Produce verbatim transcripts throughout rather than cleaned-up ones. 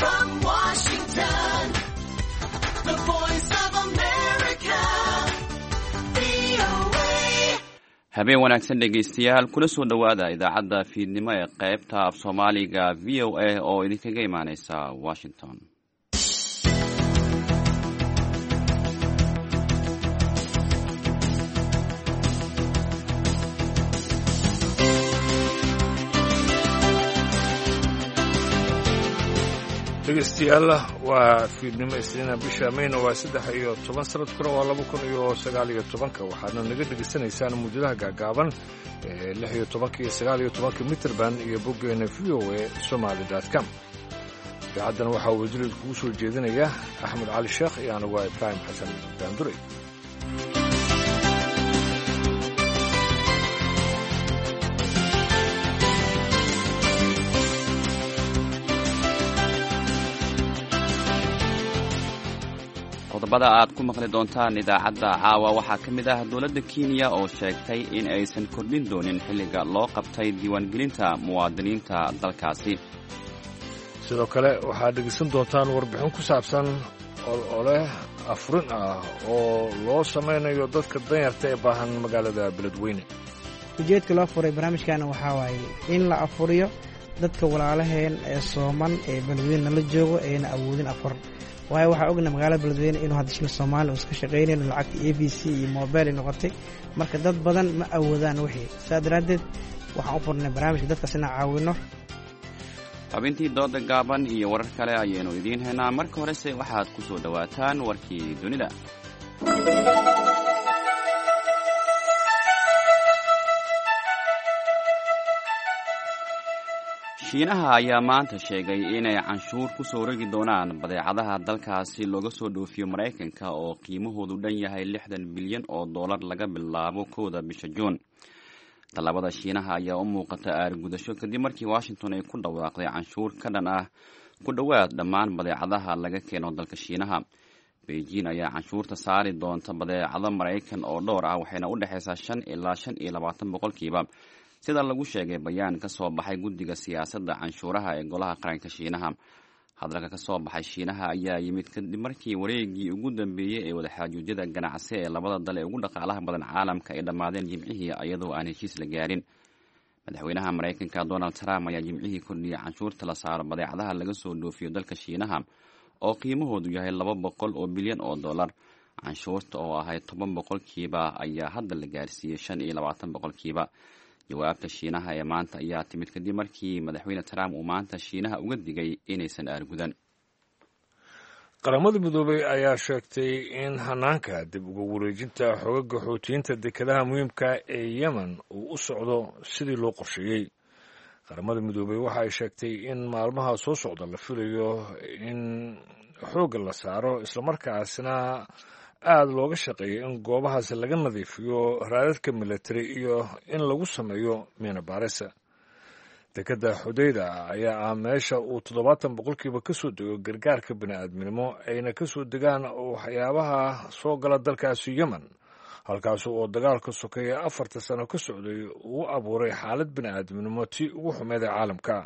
From Washington, the voice of America, V O A. Habeen wanaagsan, dhegaystayaal. Kula soo dhowaada idaacadda fiidnimo ee qaybta af Soomaaliga V O A oo idinkaga imaaneysa Washington. Dhegeystayaal, waa fiidnimo Isniina, bisha Mayna waa saddex iyo toban, sanadkuna waa laba kun iyo sagaal iyo tobanka. Waxaadna naga dhegaysanaysaan muujadaha gaagaaban ee lix iyo tobanka iyo sagaal iyo tobanka mitrband iyo boggeena V O A Somali dot com. Idaacaddan waxaa wasiirad kugu soo jeedinaya Axmed Cali Sheekh iyo anigu waa Ibraahim Xasan Daanduray. Qodobada aad ku maqli doontaan idaacadda caawa waxaa ka mid ah dowladda Kenya oo sheegtay in aysan kordhin doonin xilliga loo qabtay diiwaangelinta muwaadiniinta dalkaasi. Sidoo kale waxaad dhegaysan doontaan warbixin ku saabsan olole afurin ah oo loo samaynayo dadka danyarta ee baahan magaalada Beledweyne. Ujeedka loo furay barnaamijkana waxaa waaye in la afuriyo dadka walaalaheen ee sooman ee Beledweyne nala joogo eena awoodin afur, waayo waxaa ogna magaalada Beledweyne inuu hadda shil Soomaali uusan ka shaqaynayn, lacagta E V C iyo mobile ay noqotay. Marka dad badan ma awoodaan wixii, saa daraaddeed waxaan u furnay barnaamijka dadkaas inaan caawino. Xubintii dooda gaaban iyo warar kale ayaynu idiin haynaa. Marka horese waxaad ku soo dhowaataan warkii dunida. Shiinaha ayaa maanta sheegay inay canshuur ku soo rogi doonaan badeecadaha dalkaasi looga soo dhoofiyo Maraykanka oo qiimahoodu dhan yahay lixdan bilyan oo dollar laga bilaabo kowda bisha Juun. Tallaabada Shiinaha ayaa u muuqata aargudasho kadib markii Washington ay ku dhawaaqday canshuur ka dhan ah ku dhowaad dhammaan badeecadaha laga keeno dalka Shiinaha. Beijing ayaa canshuurta saari doonta badeecado Maraykan oo dhowr ah, waxayna u dhexaysaa shan ilaa shan iyo labaatan boqolkiiba, sida lagu sheegay bayaan ka soo baxay guddiga siyaasadda canshuuraha ee golaha qaranka Shiinaha. Hadalka ka soo baxay Shiinaha ayaa yimid kadib markii wareegii ugu dambeeyey ee wadaxaajoojyada ganacsi ee labada dal ee ugu dhaqaalaha badan caalamka ay dhammaadeen Jimcihii, iyadoo aan heshiis la gaarin. Madaxweynaha Maraykanka Donald Trump ayaa Jimcihii kordhiyey canshuurta la saaro badeecadaha laga soo dhoofiyo dalka Shiinaha oo qiimahoodu yahay laba boqol oo bilyan oo dollar. Canshuurta oo ahayd toban boqolkiiba ayaa hadda la gaarsiiyey shan iyo labaatan boqolkiiba. Jawaabta Shiinaha ee maanta ayaa timid kadib markii Madaxweyne Trump uu maanta Shiinaha uga digay inaysan aargudan. Qaramada Midoobay ayaa sheegtay in hanaanka dib uga wareejinta xogaga Xuutiyiinta dekedaha muhiimka ee Yemen uu u socdo sidii loo qorsheeyey. Qaramada Midoobay waxa ay sheegtay in maalmaha soo socda la filayo in xoogga la saaro, islamarkaasna aada looga shaqeeyo in goobahaas laga nadiifiyo raadadka military iyo in lagu sameeyo miina baarisa. Dekadda Xudayda ayaa ah meesha uu toddobaatan boqolkiiba ka soo dego gargaarka bini-aadminimo, ayna ka soo degaan waxyaabaha soo gala dalkaasi Yemen, halkaas oo dagaalka sokeeye afarta sano ka socday uu abuuray xaalad bini-aadminimo tii ugu xumeyd ee caalamka.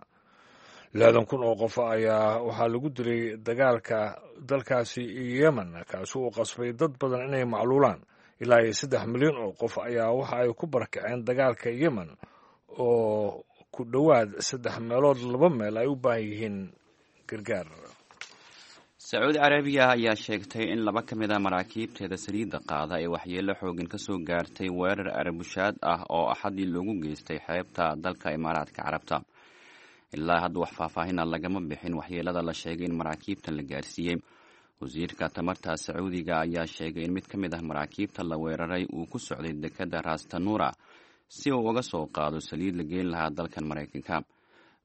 Lixdan kun oo qof ayaa waxaa lagu dilay dagaalka dalkaasi Yemen, kaasi uu qasbay dad badan inay macluulaan. Ilaa iyo saddex milyan oo qof ayaa waxa ay ku barakaceen dagaalka Yemen, oo ku dhowaad saddex meelood laba meel ay u baahan yihiin gargaar. Sacuudi Carabiya ayaa sheegtay in laba ka mid a maraakiibteeda saliidda qaada ee waxyeelo xooggan ka soo gaartay weerar arbushaad ah oo Axadii loogu geystay xeebta dalka Imaaraadka Carabta. Ilaa hadda wax faahfaahina lagama bixin waxyeelada la sheegay in maraakiibtan la gaarsiiyey. Wasiirka tamarta Sacuudiga ayaa sheegay in mid ka mid ah maraakiibta la weeraray uu ku socday dekadda Rastanura si uu uga soo qaado saliid la geyn lahaa dalkan Maraykanka.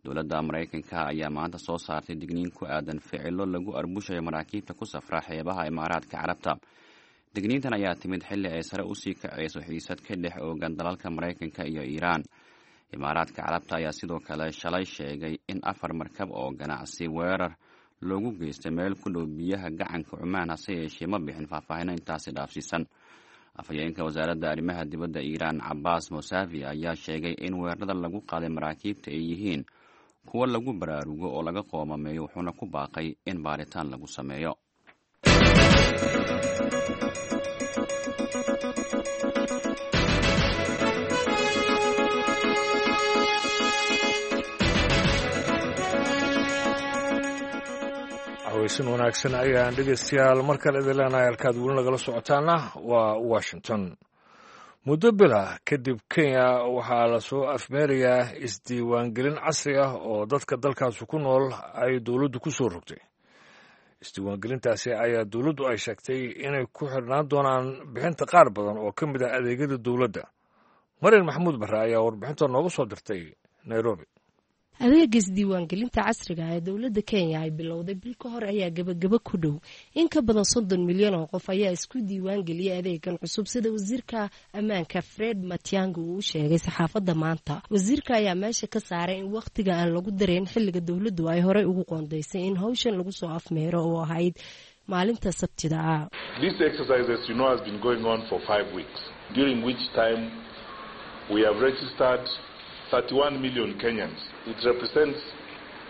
Dowladda Maraykanka ayaa maanta soo saartay digniin ku aadan ficilo lagu arbushayo maraakiibta ku safra xeebaha Imaaraadka Carabta. Digniintan ayaa timid xilli ay sare usii kacayso xiisad ka dhex oogan dalalka Maraykanka iyo Iiraan. Imaaraadka Carabta ayaa sidoo kale shalay sheegay in afar markab oo ganacsi weerar loogu geystay meel ku dhow biyaha gacanka Cumaan, hase yeeshee ma bixin faahfaahino intaasi dhaafsiisan. Afhayeenka wasaaradda arrimaha dibadda Iiraan, Cabaas Mosavi, ayaa sheegay in weerarada lagu qaaday maraakiibta ay yihiin kuwo lagu baraarugo oo laga qoomameeyo, wuxuuna ku baaqay in baaritaan lagu sameeyo. Haweysan wanaagsan ayaan dhegeystayaal mar kale idin leenahay. Halkaad weli nagala socotaana waa Washington. Muddo bila kadib Kenya waxaa lasoo afmeerayaa isdiiwaangelin casri ah oo dadka dalkaasi ku nool ay dowladdu ku soo rogtay. Isdiiwaangelintaasi ayaa dowladdu ay sheegtay inay ku xidhnaan doonaan bixinta qaar badan oo ka mid ah adeegyada dowladda. Marian Maxamuud Barre ayaa warbixinta nooga soo dirtay Nairobi. Adeega isdiiwaangelinta casriga ee dowladda Kenya ay bilowday bil ka hor ayaa gebagabo ku dhow. In ka badan soddon milyan oo qof ayaa isku diiwaangeliyay adeegan cusub, sida wasiirka ammaanka Fred Matiang'i uu u sheegay saxaafadda maanta. Wasiirka ayaa meesha ka saaray in wakhtiga aan lagu dareyn xilliga dowladdu ay horey ugu qoondaysay in howshan lagu soo afmeero oo ahayd maalinta Sabtida ah. This exercise, as you know, has been going on for five weeks, during which time we have registered thirty-one million Kenyans. It represents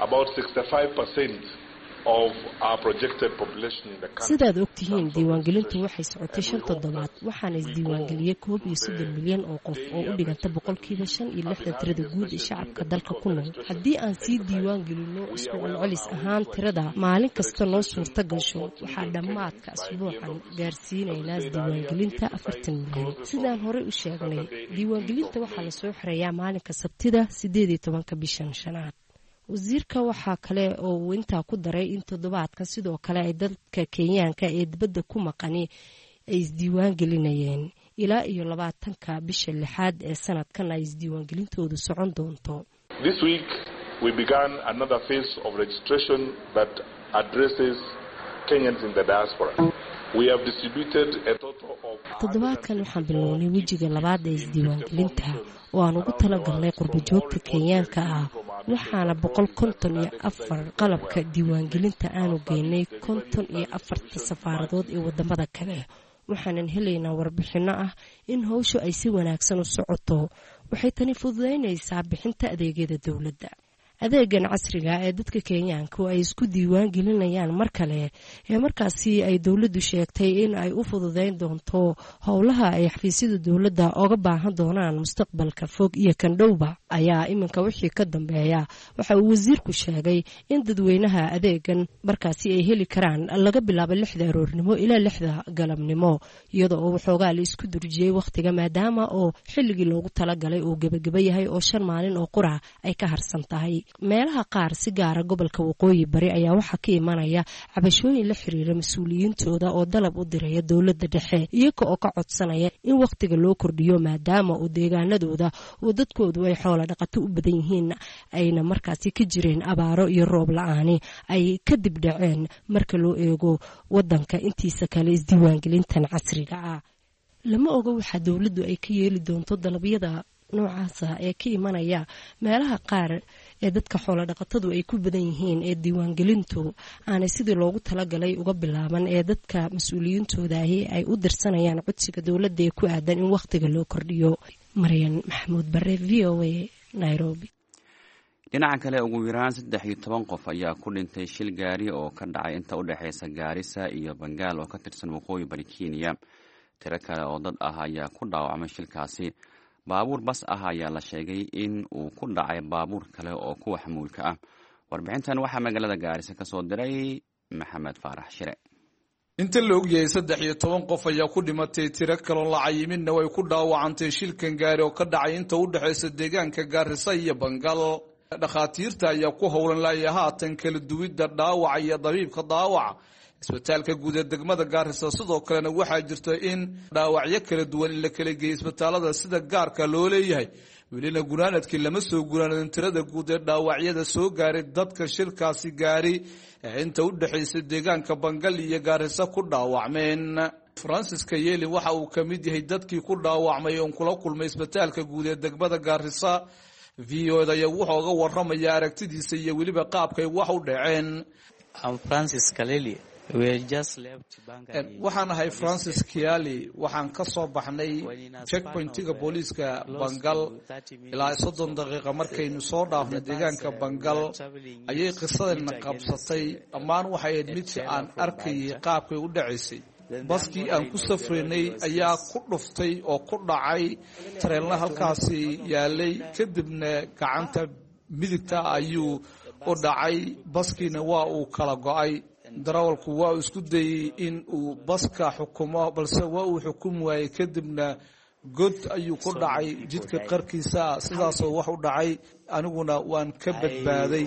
about sixty-five percent of our projected population in the country. Sidaad ogtihiin, diiwaangelintu waxay socotay shan toddobaad, waxaana isdiiwaangeliyey koob iyo soddon milyan oo qof oo u dhiganta boqolkiiba shan iyo lixdan tirada guud ee shacabka dalka ku nool. Haddii aan sii diiwaan gelino isku celcelis ahaan tirada maalin kasta noo suurta gasho, waxaa dhammaadka asbuucan gaarsiinaynaa isdiiwaangelinta afartan milyan. Sidaan horey u sheegnay, diiwaangelinta waxaa lasoo xirayaa maalinka Sabtida, sideed iyo tobanka bishan shanaad. Wasiirka waxaa kale oo uu intaa ku daray in toddobaadkan sidoo kale ay dadka Kenyaanka ee dibadda ku maqani ay isdiiwaan gelinayeen ilaa iyo labaatanka bisha lixaad ee sanadkan ay isdiiwaangelintoodu socon doonto. This week we began another phase of registration that addresses Kenyans in the diaspora. We have distributed a total of Toddobaadkan waxaan bilownay wejiga labaad ee isdiiwaangelinta oo aan ugu talagalnay qurbajoogta Kenyaanka ah, waxaana boqol konton iyo afar qalabka diiwaangelinta aanu geynay konton iyo afarta safaaradood ee wadamada kale. Waxaanan helaynaa warbixinno ah in howshu ay si wanaagsan u socoto. Waxay tani fududaynaysaa bixinta adeegyada dowladda. Adeegan casriga ee dadka Kenyaanku ay isku diiwaan gelinayaan mar kale ee markaasi ay dowladdu sheegtay in ay u fududeyn doonto howlaha ay xafiisyada dowladda oga baahan doonaan mustaqbalka fog iyo kan dhowba ayaa iminka wixii ka dambeeya waxa uu wasiirku sheegay in dadweynaha adeegan markaasi ay heli karaan laga bilaabo lixda aroornimo ilaa lixda galabnimo, iyada oo waxoogaa la isku durjiyey wakhtiga maadaama oo xilligii loogu talagalay uu gebageba yahay oo shan maalin oo qura ay ka harsan tahay. Meelaha qaar, si gaara gobolka Waqooyi Bari, ayaa waxaa ka imanaya cabashooyin la xiriira mas-uuliyiintooda oo dalab u diraya dowladda dhexe, iyaga oo ka codsanaya in wakhtiga loo kordhiyo maadaama uu deegaanadooda oo dadkoodu ay xoola dhaqato u badan yihiin ayna markaasi ka jireen abaaro iyo roob la-aani ay kadib dhaceen marka loo eego wadanka intiisa kale isdiiwaangelintan casriga ah. Lama oga waxaa dowladdu ay ka yeeli doonto dalabyada noocaasa ee ka imanaya meelaha qaar ee dadka xoolo dhaqatadu ay ku badan yihiin ee diiwaangelintu aanay sidii loogu talagalay uga bilaaban ee dadka mas-uuliyiintooda ahi ay u dirsanayaan codsiga dowladda ee ku aadan in wakhtiga loo kordhiyo. Maryan Maxamuud Bare, V O A, Nairobi. Dhinaca kale, ugu yaraan saddex iyo toban qof ayaa ku dhintay shil gaari oo ka dhacay inta u dhexeysa Gaarisa iyo Bangaal oo ka tirsan waqooyi bari Kenya. Tiro kale oo dad ah ayaa ku dhaawacmay shilkaasi. Baabuur bas ah ayaa la sheegay in uu ku dhacay baabuur kale oo kuwa xamuulka ah. Warbixintan waxaa magaalada Gaarisa ka soo diray Maxamed Faarax Shire. Inta la ogyahay saddex iyo toban qof ayaa ku dhimatay, tiro kaloo la cayiminna way ku dhaawacantay shilkan gaari oo ka dhacay inta u dhexaysa deegaanka Gaarisa iyo Bangal. Dhakhaatiirta ayaa ku howlan laaya haatan kala duwidda dhaawaca iyo dabiibka dhaawaca isbitaalka guud ee degmada Gaarisa. Sidoo kalena waxaa jirta in dhaawacyo kala duwan in la kala geeyey isbitaalada sida gaarka loo leeyahay. Welina gunaanadkii lama soo gunaanadin tirada guud ee dhaawacyada soo gaaray dadka shirkaasi gaari ee inta u dhexaysa deegaanka Bangal iyo Gaarisa ku dhaawacmeen. Francis Kayeli waxa uu ka mid yahay dadkii ku dhaawacmay oon kula kulmay isbitaalka guud ee degmada Gaarisa. V O da ayaa wuxuu oga waramaya aragtidiisa iyo weliba qaabkay wax u dhaceen. I'm Francis Kaleli. Waxaan ahay Francis Kiali. Waxaan ka soo baxnay checkpointiga booliiska Bangal. Ilaa soddon daqiiqa markaynu soo dhaafnay deegaanka Bangal ayay qisadana qabsatay. Dhammaan waxay ahayd midka aan arkayay qaabkay u dhacaysay. Baskii aan ku safraynay ayaa ku dhuftay oo ku dhacay tareenla halkaasi yaalay, kadibna gacanta midigta ayuu u dhacay, baskiina waa uu kala go'ay. Darawalku waa uu isku dayey in uu baska xukumo, balse waa uu xukumi waayey, kadibna god ayuu ku dhacay jidka qarkiisa. Sidaasoo wax u dhacay, aniguna waan ka badbaaday.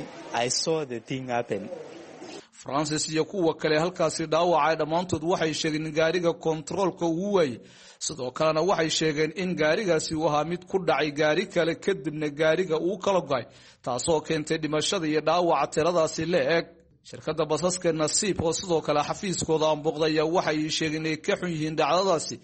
Francis iyo kuwa kale halkaasi dhaawacay dhammaantood waxay sheegeen in gaariga kontaroolka uu waayey. Sidoo kalena waxay sheegeen in gaarigaasi uu ahaa mid ku dhacay gaari kale, kadibna gaariga uu kala go'ay, taasoo keentay dhimashada iyo dhaawaca tiradaasi la eg. Shirkadda basaska Nasiib oo sidoo kale xafiiskooda aanbuuqday ayaa waxay sheegeen inay ka xun yihiin dhacdadaasi,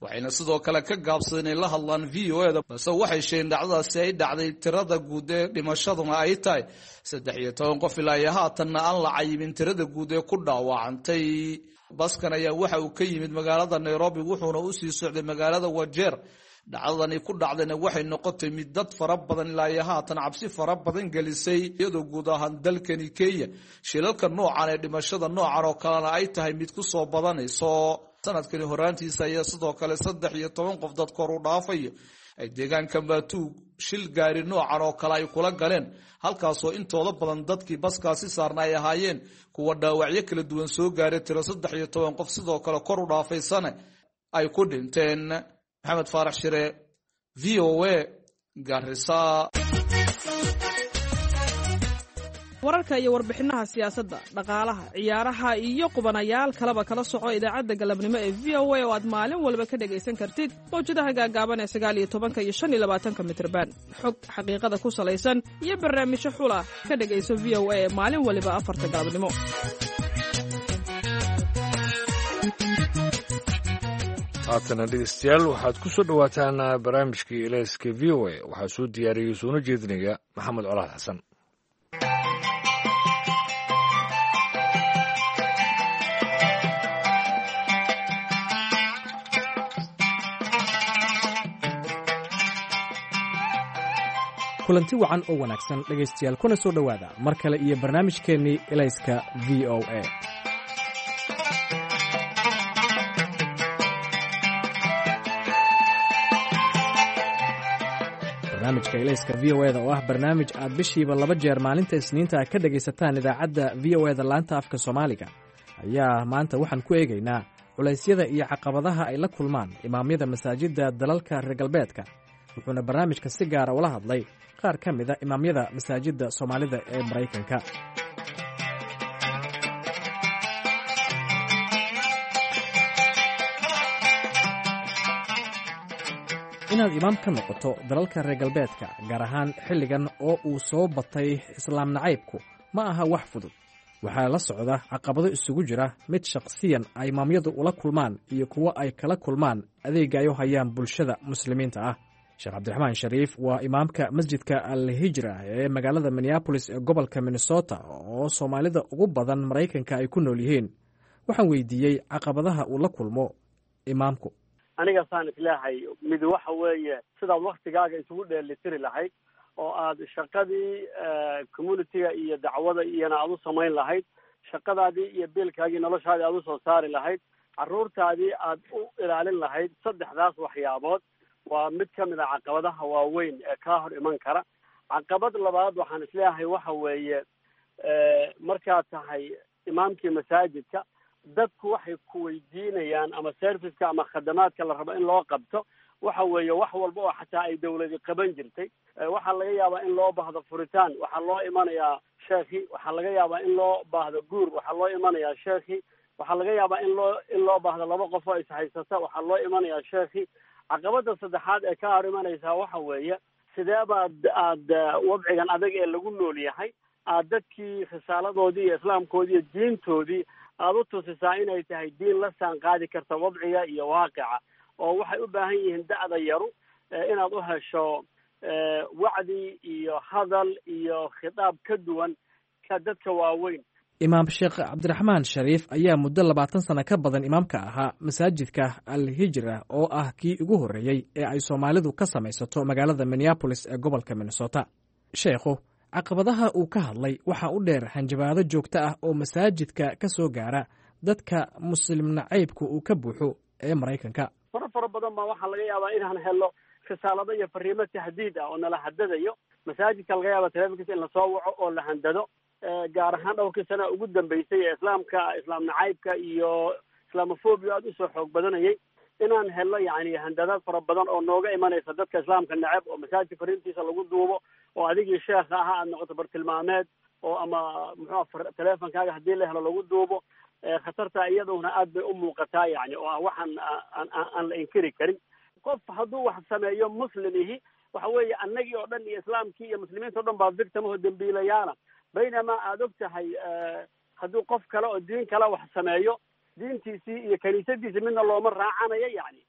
waxayna sidoo kale ka gaabsadeen inay la hadlaan V O E da, balse waxay sheegeen dhacdadaasi ay dhacday, tirada guud ee dhimashaduna ay tahay saddex iyo toban qof, ilaa iyo haatanna aan la cayimin tirada guud ee ku dhaawacantay. Baskan ayaa waxa uu ka yimid magaalada Nairobi, wuxuuna usii socday magaalada Wajeer. Dhacdadani ku dhacdayna waxay noqotay mid dad fara badan ilaa iyo haatan cabsi fara badan gelisay, iyadoo guud ahaan dalkani Kenya shilalka noocan ee dhimashada noocan oo kalena ay tahay mid ku soo badanayso. Sanadkani horaantiisa ayaa sidoo kale saddex iyo toban qof dad kor u dhaafayo ay deegaanka Maatuug shil gaari noocan oo kale ay kula galeen, halkaasoo intooda badan dadkii baskaasi saarna ay ahaayeen kuwa dhaawacyo kala duwan soo gaaray, tiro saddex iyo toban qof sidoo kale kor u dhaafaysana ay ku dhinteen. Maxamed Faarax Shire, V O A, Garissa. Wararka iyo warbixinaha siyaasadda, dhaqaalaha, ciyaaraha iyo qubanayaal kaleba kala soco idaacadda galabnimo ee V O A, oo aad maalin walba ka dhegaysan kartid mawjadaha gaagaaban ee sagaal iyo tobanka iyo shan iyo labaatanka mitrban. Xog xaqiiqada ku salaysan iyo barnaamijyo xula ka dhegayso V O A ee maalin waliba afarta galabnimo. Haatana dhegeystayaal, waxaad ku soo dhowaataan barnaamijkii Elayska V O A. Waxaa soo diyaariyey soona jeedinaya Maxamed Colaad Xasan. Kulanti wacan oo wanaagsan dhegaystayaal, kuna soo dhowaada mar kale iyo barnaamijkeennii Elayska V O A. Barnaamijka Elayska V O eda oo ah barnaamij aad bishiiba laba jeer maalinta Isniinta ka dhegaysataan idaacadda V O eda laanta afka Soomaaliga ayaa maanta waxaan ku eegaynaa culaysyada iyo caqabadaha ay la kulmaan imaamyada masaajidda dalalka reer galbeedka. Wuxuuna barnaamijka si gaara ula hadlay qaar ka mida imaamyada masaajidda Soomaalida ee Maraykanka. Inaad imaam ka noqoto dalalka reer galbeedka, gaar ahaan xilligan oo uu soo batay islaam nacaybku, ma aha wax fudud. Waxaa la socda caqabado isugu jira mid shaqsiyan ay imaamyadu ula kulmaan iyo kuwo ay kala kulmaan adeega ay u hayaan bulshada muslimiinta ah. Sheekh Cabdiraxmaan Shariif waa imaamka masjidka Al Hijra ee magaalada Minneabolis ee gobolka Minnesota, oo Soomaalida ugu badan Maraykanka ay ku nool yihiin. Waxaan weydiiyey caqabadaha uu la kulmo imaamku. Aniga saan isleehay, mid waxa weeye sidaad waktigaaga isugu dheelitiri lahayd oo aad shaqadii community-ga iyo dacwada iyona aad u samayn lahayd, shaqadaadii iyo biilkaagii noloshaadii aad usoo saari lahayd, carruurtaadii aad u ilaalin lahayd. Saddexdaas waxyaabood waa mid ka mid a caqabadaha waaweyn ee kaa hor iman kara. Caqabad labaad waxaan isleeyahay waxa weeye, markaad tahay imaamkii masaajidka, dadku waxay ku weydiinayaan ama serviceka ama khadamaadka la rabo in loo qabto waxa weeye wax walba oo xataa ay dawladi qaban jirtay. Waxaa laga yaabaa in loo baahdo furitaan, waxaa loo imanayaa sheekhi. Waxaa laga yaabaa in loo baahdo guur, waxaa loo imanayaa sheekhi. Waxaa laga yaabaa in loo in loo baahdo laba qof oo ishaysata, waxaa loo imanayaa sheekhi. Caqabada saddexaad ee ka hor imanaysaa waxa weeye, sidee baad aad wadcigan adag ee lagu nool yahay aad dadkii risaaladoodii iyo islaamkoodii iyo diintoodii aada u tusisaa inay tahay diin la saan qaadi karta wadciga iyo waaqica, oo waxay u baahan yihiin da'da yaru inaad u hesho wacdi iyo hadal iyo khitaab ka duwan ka dadka waaweyn. Imaam Sheekh Cabdiraxmaan Shariif ayaa muddo labaatan sano ka badan imaamka ahaa masaajidka Al Hijra, oo ah kii ugu horreeyey ee ay Soomaalidu ka samaysato magaalada Minneapolis ee gobolka Minnesota. Sheekhu caqabadaha uu ka hadlay waxaa u dheer hanjabaado joogto ah oo masaajidka ka soo gaara dadka Muslim nacaybka uu ka buuxo ee Maraykanka. Fara fara badan baa waxaa laga yaabaa inaan helo risaalado iyo fariimo tahdiid ah oo nala hadadayo. Masaajidka laga yaaba telefonkiisa in lasoo waco oo la handado, gaar ahaan dhowrkii sana ugu dambeysay ee islaamka, islaam nacaybka iyo islamophobia aada usoo xoog badanayay, inaan helno yani handadaad fara badan oo nooga imanaysa dadka islaamka neceb, oo masaajidka fariintiisa lagu duubo, oo adigii sheekha ahaa aad noqoto bartilmaameed, oo ama muxuu telefonkaaga haddii la helo lagu duubo. Khatarta iyaduna aad bay u muuqataa, yani oo ah waxaan aan aan la inkiri karin. Qof hadduu wax sameeyo muslim ihi, waxa weeye annagii oo dhan iyo islaamkii iyo muslimiinta o dhan baa victim oo dembiilayaala, baynamaa aada og tahay hadduu qof kale oo diin kale wax sameeyo, diintiisii iyo kaniisadiisii midna looma raacanayo. Yani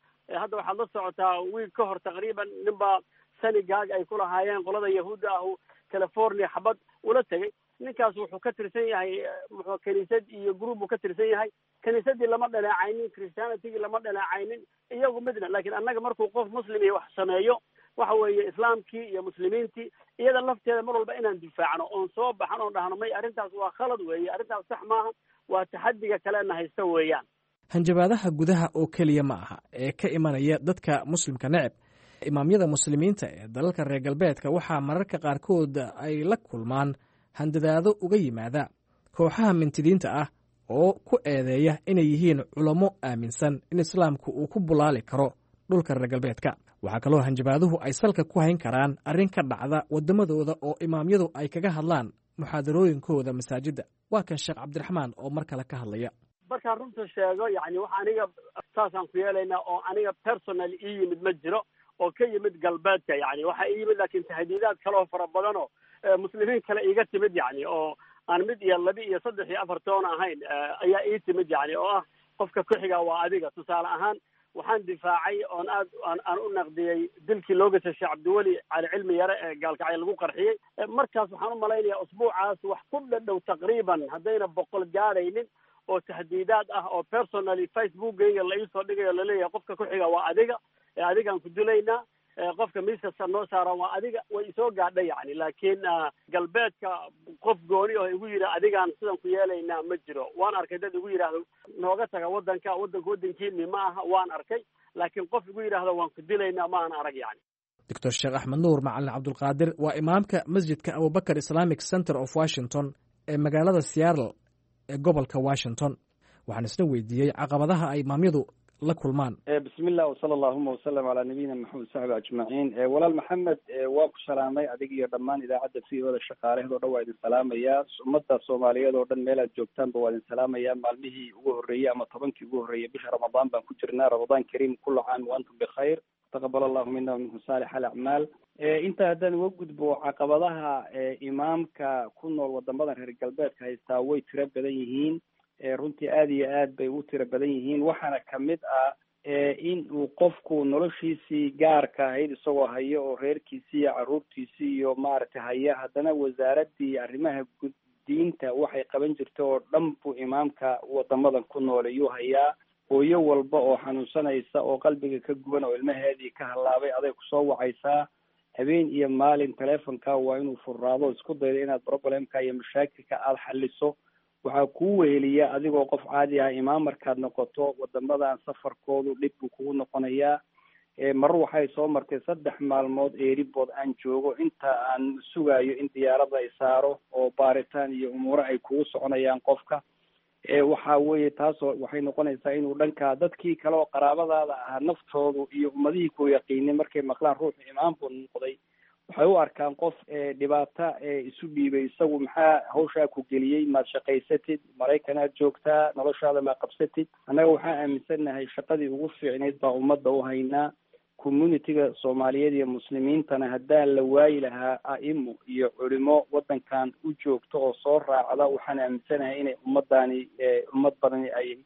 hadda waxaad la socotaa wiil ka hor taqriiban nin baa synagogue ay ku lahaayeen qolada Yahuudda ahu California xabad ula tegay. Ninkaas wuxuu ka tirsan yahay muxuu kaniisad iyo group buu ka tirsan yahay. Kaniisadii lama dhaleecaynin, Christianitygii lama dhaleecaynin, iyagu midna. Laakiin annaga markuu qof muslim iyo wax sameeyo, waxa weeye islaamkii iyo muslimiintii iyada lafteeda mar walba inaan difaacno oon soo baxan oon dhahno may, arrintaas waa khalad weeye, arrintaas sax maaha, waa taxadiga kalena haysta weeyaan. Hanjabaadaha gudaha oo keliya ma aha ee ka imanaya dadka Muslimka neceb. Imaamyada Muslimiinta ee dalalka reer galbeedka waxaa mararka qaarkood ay la kulmaan handadaado uga yimaada kooxaha mintidiinta ah oo ku eedeeya inay yihiin culamo aaminsan in islaamku uu ku bulaali karo dhulka reer galbeedka. Waxaa kaloo hanjabaaduhu ay salka ku hayn karaan arrin ka dhacda waddamadooda oo imaamyadu ay kaga hadlaan muxaadarooyinkooda masaajidda. Waa kan Sheekh Cabdiraxmaan oo mar kale ka hadlaya. Markaan runta sheego, yani wax aniga saasaan ku yeelaynaa oo aniga personal ii yimid ma jiro oo ka yimid galbeedka. Yani waxaa ii yimid laakiin tahdiidaad kale oo fara badan oo muslimiin kale iiga timid, yani oo aan mid iyo laba iyo saddex iyo afar toon ahayn ayaa ii timid, yani oo ah qofka ku-xiga waa adiga. Tusaale ahaan, waxaan difaacay oon aad aan aan u naqdiyey dilkii loo geystay Sheekh Cabdiweli Cali Cilmi Yare ee Gaalkacyo lagu qarxiyey. Markaas waxaan u malaynayaa usbuucaas wax ku dhadhow taqriiban, haddayna boqol gaadhaynin, oo tahdiidaad ah oo personally Facebookgayga la iisoo dhigayo, laleeyahay qofka ku-xiga waa adiga, adigaan ku dilaynaa, qofka miiskasta noo saaran waa adiga. Way isoo gaadhay yani, laakiin galbeedka qof gooni oo igu yidhi adigaan sidan ku yeelaynaa ma jiro. Waan arkay dad igu yidhaahdo nooga taga waddanka, waddanka waddankiini ma aha, waan arkay, laakiin qof igu yidhaahdo waan ku dilaynaa ma aan arag yani. Doctor Sheekh Axmed Nuur Macalin Cabdulqaadir waa imaamka masjidka Abubakar Islamic Center of Washington ee magaalada Seattle ee gobolka Washington. Waxaan isna weydiiyey caqabadaha ay imaamyadu la kulmaan. Bismi llah, wsala allahuma wasalam calaa nabiyina Maxamed saxbi ajmaciin. Walaal Maxamed, waa ku salaamay adig iyo dhammaan idaacadda V O da shaqaalaheed o dhan waa idin salaamayaa. Ummadda Soomaaliyeed oo dhan meel aad joogtaanba waa idin salaamayaa. Maalmihii ugu horreeyey ama tobankii ugu horreeyey bisha Ramadaan baan ku jirnaa. Ramadaan kariim, kula caam wa antum bikhayr, taqabal allahu mina wa minkum saalix alacmaal. Intaa haddaan uga gudbo, caqabadaha imaamka ku nool wadamadan reer galbeedka haystaa way tiro badan yihiin, runtii aada iyo aad bay u tiro badan yihiin. Waxaana kamid ah in uu qofku noloshiisii gaarka ahayd isagoo hayo oo reerkiisii iyo carruurtiisii iyo maaragtay haya, haddana wasaaraddii arrimaha gud diinta waxay qaban jirta oo dhan buu imaamka wadamadan ku nool iyuu hayaa. Hooyo walba oo xanuunsanaysa oo qalbiga ka guban oo ilmaheedii ka hallaabay aday kusoo wacaysaa habeen iyo maalin. Telefonka waa inuu furraado, isku daydo inaad problemka iyo mashaakilka aada xaliso. Waxaa kuu weheliya adigoo qof caadi ah imaam markaad noqoto wadamadan, safarkoodu dhib buu kugu noqonayaa. Mar waxay soo martay saddex maalmood airport aan joogo inta aan sugayo in diyaaradda ay saaro, oo baaritaan iyo umuuro ay kugu soconayaan qofka. Waxa weeye taasoo waxay noqonaysaa inuu dhankaa dadkii kale oo qaraabadaada ahaa naftoodu iyo ummadihii ku yaqiinay markay maqlaan ruuxu imaam buu noqday, waxay u arkaan qof dhibaato isu dhiibay. Isagu maxaa hawshaa ku geliyey? Maad shaqaysatid? Maraykan aad joogtaa, noloshaada maa qabsatid? Annaga waxaan aaminsannahay shaqadii ugu fiicnayd baa ummadda u haynaa, community-ga Soomaaliyeed iyo muslimiintana. Haddaan la waayi lahaa a'imo iyo culimo waddankan u joogto oo soo raacda, waxaan aaminsanahay inay ummaddaani ummad badani ay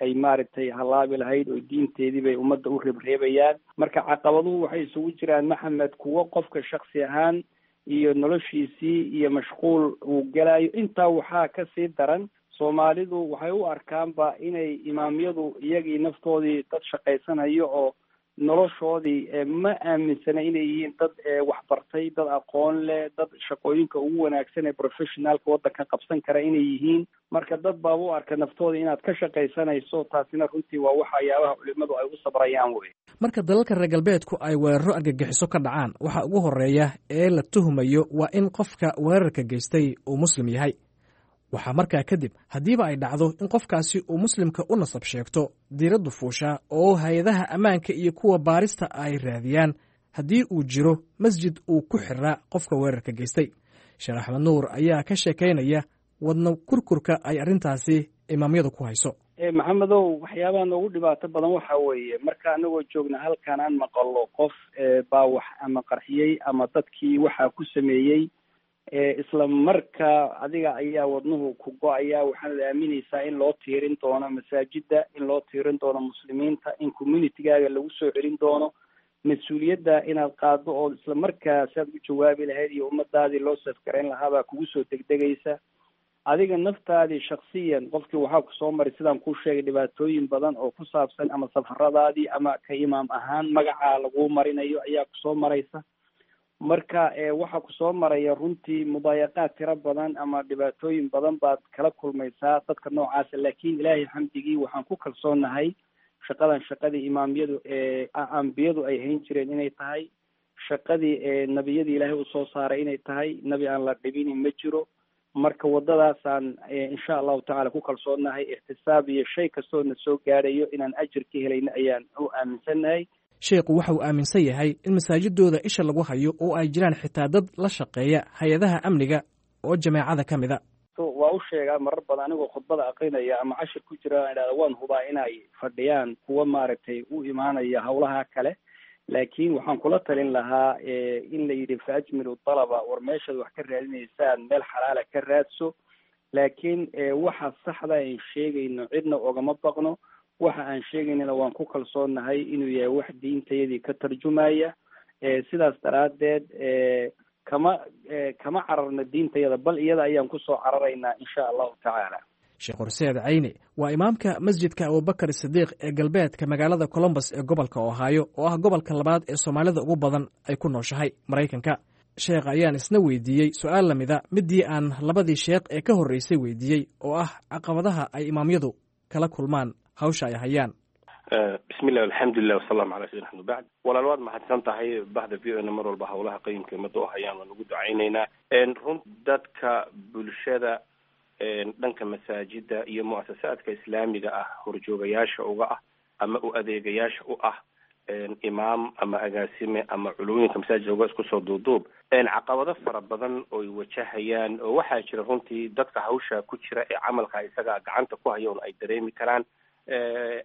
ay maaragtay halaabi lahayd, oo diinteedii bay ummadda u reebreebayaan. Marka caqabaduhu waxay isugu jiraan, Maxamed, kuwo qofka shaksi ahaan iyo noloshiisii iyo mashquul uu gelayo. Intaa waxaa kasii daran, Soomaalidu waxay u arkaanba inay imaamyadu iyagii naftoodii dad shaqaysanayo oo noloshoodii ma aaminsana inay yihiin dad waxbartay, dad aqoon leh, dad shaqooyinka ugu wanaagsan ee professionalka waddanka qabsan kara inay yihiin. Marka dad baaba u arka naftooda inaad ka shaqaysanayso, taasina runtii waa waxyaabaha culimadu ay u sabrayaan wey. Marka dalalka reer galbeedku ay weeraro argagixiso ka dhacaan, waxa ugu horeeya ee la tuhumayo waa in qofka weerarka geystay uu Muslim yahay. Waxaa markaa kadib, haddiiba ay dhacdo in qofkaasi uu Muslimka u nasab sheegto, diiraddu fuushaa oo hay-adaha ammaanka iyo kuwa baarista ay raadiyaan haddii uu jiro masjid uu ku xiraa qofka weerarka geystay. Sheekh Axmed Nuur ayaa ka sheekaynaya wadna kurkurka ay arrintaasi imaamyadu ku hayso. Maxamedow, waxyaabaha noogu dhibaato badan waxa weeye marka anagoo joogna halkan aan maqalo qof baa wax ama qarxiyey ama dadkii waxaa ku sameeyey, isla markaa adiga ayaa wadnuhu ku go-aya. Waxaanad aaminaysaa in loo tiirin doono masaajida, in loo tiirin doono muslimiinta, in communitygaaga lagu soo celin doono mas-uuliyadda inaad qaado oo isla markaa si aad u jawaabi lahayd iyo ummadaadii loo safgarayn lahaabaa kugu soo degdegaysa. Adiga naftaadii shaksiyan qofkii waxaa kusoo maray, sidaan kuu sheegay, dhibaatooyin badan oo ku saabsan ama safaradaadii ama ka imaam ahaan magacaa laguu marinayo ayaa kusoo maraysa. Marka waxaa kusoo maraya runtii mudaayaqaad tiro badan ama dhibaatooyin badan baad kala kulmaysaa dadka noocaasa. Laakiin Ilaahay xamdigii, waxaan ku kalsoonahay shaqadan shaqadii imaamyadu ee ambiyadu ay hayn jireen inay tahay, shaqadii nebiyadii Ilaahay usoo saaray inay tahay. Nebi aan la dhibinin ma jiro. Marka waddadaasaan insha Allahu tacala ku kalsoonahay. Ixtisaab iyo shay kastoo na soo gaadhayo inaan ajir ka helayno ayaan u aaminsannahay. Sheekhu waxa uu aaminsan yahay in masaajidooda isha lagu hayo oo ay jiraan xitaa dad la shaqeeya hay-adaha amniga oo jameecada ka mida. Waa u sheegaa marar badan anigoo khudbada aqrinaya ama cashir ku jira, aan idhahda waan hubaa inay fadhiyaan kuwa maaragtay u imaanaya hawlaha kale, laakiin waxaan kula talin lahaa in la yidhi fa ajmilu dalaba, war meeshaad wax ka raadinaysaan meel xalaala ka raadso. Laakiin waxa saxda aan sheegayno cidna ogama baqno, waxa aan sheegaynana waan ku kalsoonahay inuu yahay wax diintayadii ka tarjumaya. Sidaas daraaddeed kama kama cararno diintayada, bal iyada ayaan kusoo cararaynaa insha Allahu tacaala. Sheekh Horseed Cayne waa imaamka masjidka Abubakar Sidiiq ee galbeedka magaalada Colombus ee gobolka Ohio, oo ah gobolka labaad ee Soomaalida ugu badan ay ku nooshahay Maraykanka. Sheekh ayaan isna weydiiyey su-aal lamida midii aan labadii sheekh ee ka horreysay weydiiyey, oo ah caqabadaha ay imaamyadu kala kulmaan hawsha ay hayaan. Bismillah, alxamdulilah, wasalaamu calaa sayidina axmed bacd. Walaal, waad mahadsan tahay. Bahda V O na mar walba hawlaha qayimka ummadda u hayaan waan ugu ducaynaynaa. Run dadka bulshada dhanka masaajida iyo muasasaadka islaamiga ah horjoogayaasha uga ah ama u adeegayaasha u ah, imaam ama agaasime ama culooyinka masaajidka uga, isku soo duuduub, caqabado fara badan oy wajahayaan oo waxaa jira runtii dadka hawsha ku jira ee camalka isaga gacanta ku haya un ay dareemi karaan,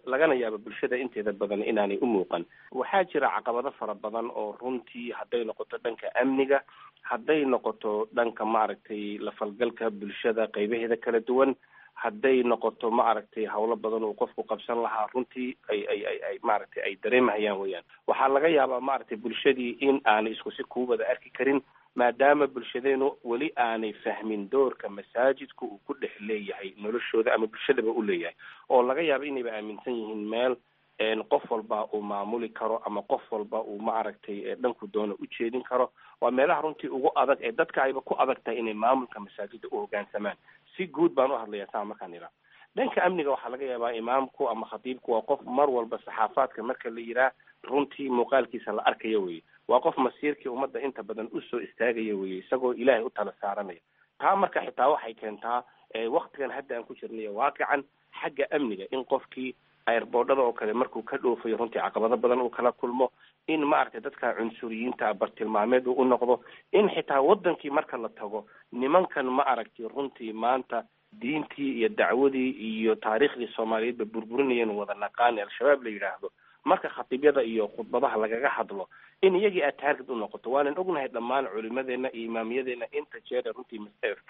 lagana yaabo bulshada inteeda badan inaanay u muuqan. Waxaa jira caqabado fara badan oo runtii hadday noqoto dhanka amniga, hadday noqoto dhanka maaragtay la falgalka bulshada qaybaheeda kala duwan, hadday noqoto maaragtay hawlo badan uu qofku qabsan lahaa, runtii ay ay ay ay maaragtay ay dareemahayaan weyaan. Waxaa laga yaabaa maaragtay bulshadii in aanay isku si kuu wada arki karin, maadaama bulshadeenu weli aanay fahmin doorka masaajidku uu ku dhex leeyahay noloshooda ama bulshadaba u leeyahay, oo laga yaabo inayba aaminsan yihiin meel qof walba uu maamuli karo ama qof walba uu maaragtay dhanku doono u jeedin karo. Waa meelaha runtii ugu adag ee dadka ayba ku adag tahay inay maamulka masaajida u hoggaansamaan. Si guud baan u hadlayaa saa markaan iraa. Dhanka amniga waxaa laga yaabaa imaamku ama khatiibku waa qof mar walba saxaafaadka marka la yihaah runtii muuqaalkiisa la arkaya weye, waa qof masiirkii ummadda inta badan usoo istaagaya weye, isagoo Ilaahay u tala saaranaya. Taa marka xitaa waxay keentaa waktigan hadda aan ku jirnayo waaqican xagga amniga in qofkii airboodhada oo kale markuu ka dhoofayo runtii caqabado badan uu kala kulmo, in maaragtay dadka cunsuriyiinta bartilmaameed uu u noqdo, in xitaa wadankii marka la tago nimankan ma aragtay runtii maanta diintii iyo dacwadii iyo taariikhdii Soomaaliyeedba burburinayeen wada naqaan Al-Shabaab la yidhaahdo, marka khatiibyada iyo khudbadaha lagaga hadlo in iyagii aad taarget u noqoto. Waanan ognahay dhammaan culimadeena iyo imaamyadeena inta jeer runtii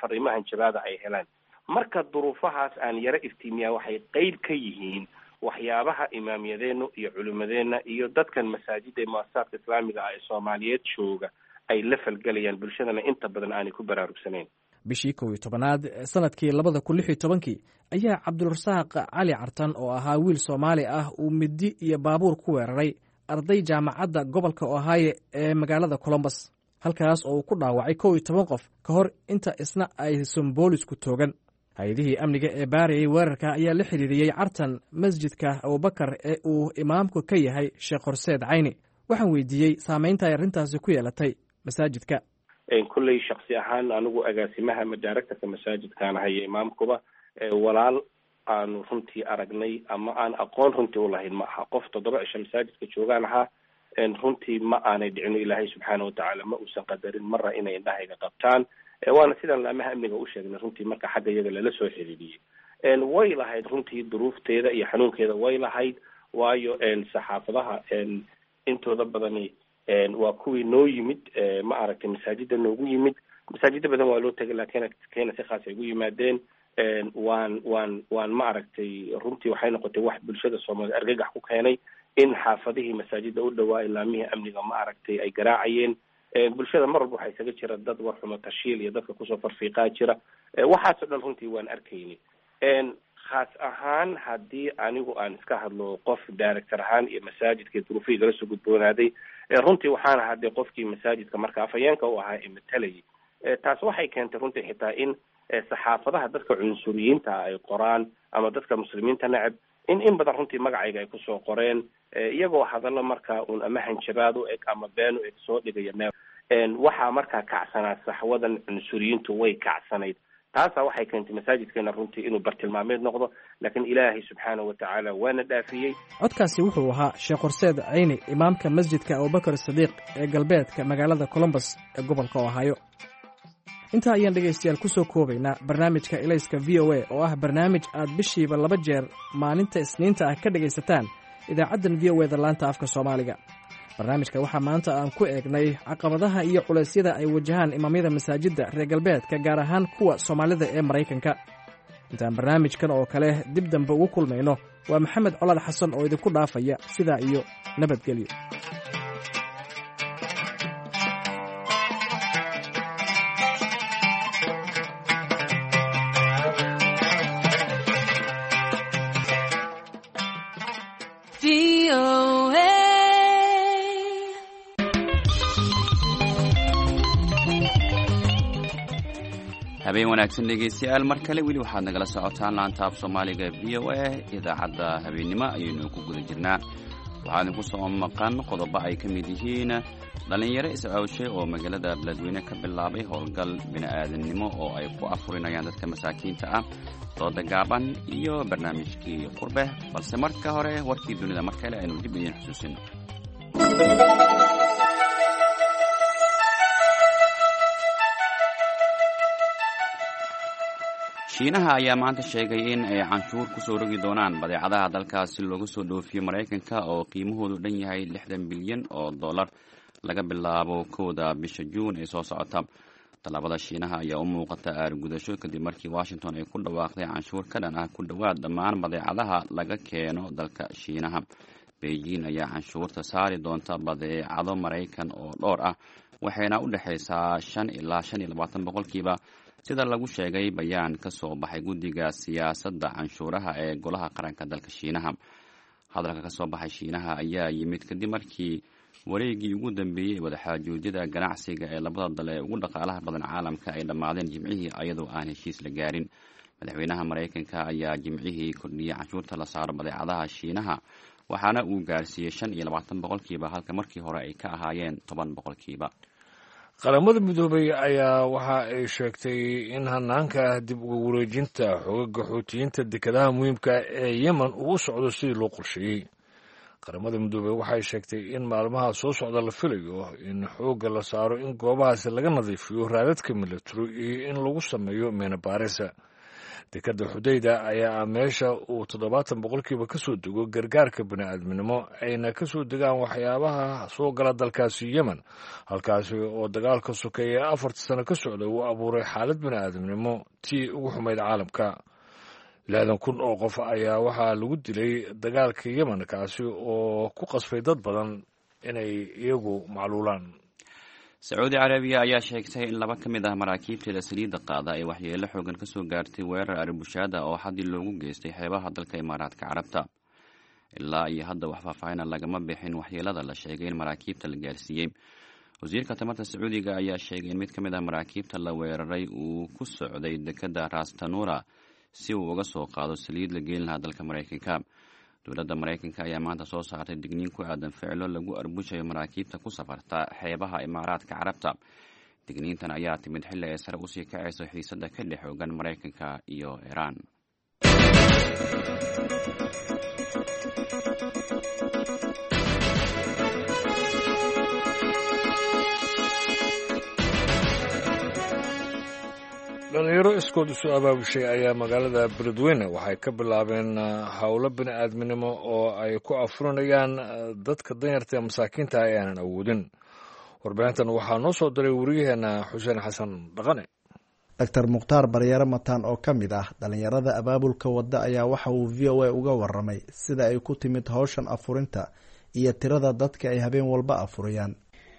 fariimahan jabaada ay helaan. Marka duruufahaas aan yaro iftiimiyaa waxay qeyb ka yihiin waxyaabaha imaamyadeenu iyo culimadeena iyo dadkan masaajida ee muasasaadka islaamiga ah ee Soomaaliyeed jooga ay la falgelayaan, bulshadana inta badan aanay ku baraarugsanayn. Bishii kow iyo tobanaad sanadkii labada kun lix iyo tobankii ayaa Cabdulrasaaq Cali Cartan oo ahaa wiil Soomaali ah uu midi iyo baabuur ku weeraray arday jaamacadda gobolka Ohio ee magaalada Colombus, halkaas oo uu ku dhaawacay kow iyo toban qof ka hor inta isna aysan boolisku toogan. Hay-adihii amniga ee baarayay weerarka ayaa la xiriiriyey Cartan masjidka Abubakar ee uu imaamku ka yahay Sheekh Horseed Cayni. Waxaan weydiiyey saameynta ay arrintaasi ku yeelatay masaajidka. Kolley shaksi ahaan anigu agaasimaha ama directorka masaajidkaan ahayo imaamkuba, walaal aanu runtii aragnay ama aan aqoon runtii ulahayn ma aha. Qof toddoba cisho masaajidka joogaan ahaa, runtii ma aanay dhicino. Ilaahay subxaana watacaala ma uusan qadarin marra inay indhahayga qabtaan, waana sidaan laamaha amniga u sheegnay runtii marka xagga iyaga lala soo xiriiriyey. Way lahayd runtii duruufteeda iyo xanuunkeeda way lahayd, waayo saxaafadaha intooda badani waa kuwii noo yimid, ma aragtay, masaajida noogu yimid. Masaajida badan waa loo tegay, laakiin keena si khaas ay ugu yimaadeen. Waan waan waan ma aragtay, runtii waxay noqotay wax bulshada Soomaaliyed argagax ku keenay in xaafadihii masaajida u dhawaa ilaamihii amniga ma aragtay ay garaacayeen. Bulshada mar walba waxaa isaga jira dad warxumo tashiil iyo dadka kusoo farfiiqaa jira. Waxaasoo dhan runtii waan arkayni. Khaas ahaan haddii anigu aan iska hadlo qof director ahaan iyo masaajidka duruufihii kala soo gudboonaaday, runtii waxaan ahaa dee qofkii masaajidka marka afhayeenka u ahaa ee matalayay. Taas waxay keentay runtii xitaa in saxaafadaha dadka cunsuriyiinta ay qoraan ama dadka muslimiinta neceb in in badan runtii magacayga ay kusoo qoreen, iyagoo hadallo markaa uun ama hanjabaad u eg ama been u eg soo dhigaya meel. Waxaa markaa kacsanaa saxwadan cunsuriyiintu way kacsanayd. Taasaa waxay keentay masaajidkeena runtii inuu bartilmaameed noqdo, laakiin Ilaahay subxaana wa tacaala waana dhaafiyey. Codkaasi wuxuu ahaa Sheekh Horseed Cayni, imaamka masjidka Abubakar Sadiiq ee galbeedka magaalada Colombus ee gobolka Ohio. Intaa ayaan dhegaystayaal ku soo koobaynaa barnaamijka Ilayska V O A, oo ah barnaamij aad bishiiba laba jeer maalinta Isniinta ah ka dhegaysataan idaacaddan V O E da laanta afka Soomaaliga. Barnaamijka waxaa maanta aan ku eegnay caqabadaha iyo culeysyada ay wajahaan imaamyada masaajidda reer galbeedka, gaar ahaan kuwa Soomaalida ee Maraykanka. Intaan barnaamijkan oo kale dib dambe ugu kulmayno, waa Maxamed Colaad Xasan oo idinku dhaafaya sidaa iyo nabadgelyo. Habeen wanaagsan dhegeystayaal, mar kale. Weli waxaad nagala socotaan laanta af Soomaaliga V O A. Idaacadda habeennimo ayaynu ku guda jirnaa. Waxaa idinku soo maqan qodobo ay ka mid yihiin dhallinyaro is-aawshay oo magaalada Beledweyne ka bilaabay howlgal bini'aadannimo oo ay ku afurinayaan dadka masaakiinta ah, dooda gaaban iyo barnaamijkii qurbe. Balse marka hore warkii dunida mar kale aynu dib idiin xusuusino. Shiinaha ayaa maanta sheegay in ay canshuur ku soo rogi doonaan badeecadaha dalkaasi looga soo dhoofiyo Maraykanka oo qiimahoodu dhan yahay lixdan bilyan oo dollar laga bilaabo kowda bisha Juun ee soo socota. Tallaabada Shiinaha ayaa u muuqata aargudasho kadib markii Washington ay ku dhawaaqday canshuur ka dhan ah ku dhowaad dhammaan badeecadaha laga keeno dalka Shiinaha. Beijing ayaa canshuurta saari doonta badeecado Maraykan oo dhowr ah, waxayna u dhexaysaa shan ilaa shan iyo labaatan boqolkiiba, sida lagu sheegay bayaan ka soo baxay guddiga siyaasadda canshuuraha ee golaha qaranka dalka Shiinaha. Hadalka ka soo baxay Shiinaha ayaa yimid kadib markii wareegii ugu dambeeyey ee wadaxaajoojyada ganacsiga ee labada dal ee ugu dhaqaalaha badan caalamka ay dhammaadeen Jimcihii, ayadoo aan heshiis la gaarin. Madaxweynaha Maraykanka ayaa Jimcihii kordhiyey canshuurta la saaro badeecadaha Shiinaha, waxaana uu gaarsiiyey shan iyo labaatan boqolkiiba, halka markii hore ay ka ahaayeen toban boqolkiiba. Qaramada Midoobay ayaa waxa ay sheegtay in hanaanka dib uga wareejinta xogaga Xuutiyiinta dekedaha muhiimka ee Yemen uu u socdo sidii loo qorsheeyey. Qaramada Midoobey waxay sheegtay in maalmaha soo socda la filayo in xoogga la saaro in goobahaasi laga nadiifiyo raadadka milatary iyo in lagu sameeyo meenabaarisa. Dekadda Xudayda ayaa ah meesha uu toddobaatan boqolkiiba ka soo dego gargaarka bini'aadminimo, ayna ka soo degaan waxyaabaha soo gala dalkaasi Yemen, halkaasi oo dagaalka sokeeye afarta sano ka socda uu abuuray xaalad bini'aadminimo tii ugu xumayd caalamka. Lixdan kun oo qof ayaa waxaa lagu dilay dagaalka Yemen, kaasi oo ku qasbay dad badan inay iyagu macluulaan. Sacuudi Carabiya ayaa sheegtay in laba ka mid ah maraakiibteeda saliidda qaada ay waxyeelo xoogan ka soo gaartay weerar arbushaada oo xaddi loogu geystay xeebaha dalka Imaaraadka Carabta. Ilaa iyo hadda wax faahfaahina lagama bixin waxyeelada la sheegay in maraakiibta la gaarsiiyey. Wasiirka tamarta Sacuudiga ayaa sheegay in mid ka mid ah maraakiibta la weeraray uu ku socday dekedda Rastanura si uu uga soo qaado saliid la geyn lahaa dalka Maraykanka. Dowladda Maraykanka ayaa maanta soo saartay digniin ku aadan ficilo lagu arbushayo maraakiibta ku safarta xeebaha Imaaraadka Carabta. Digniintan ayaa timid xilli ay sare usii kacayso xiisadda ka dhex xoogan Maraykanka iyo Iiraan. Dhalinyaro iskood isu abaabushay ayaa magaalada Beledweyne waxay ka bilaabeen howlo bini aadminimo oo ay ku afurinayaan dadka danyarta ee masaakiinta ah ee aanan awoodin. Warbixintan waxaa noo soo diray wariyaheenna Xuseen Xasan Dhaqane. Doctor Mukhtaar Baryare Mataan oo ka mid ah dhalinyarada abaabulka wadda ayaa waxa uu V O A uga waramay sida ay ku timid howshan afurinta iyo tirada dadka ay habeen walba afuriyaan.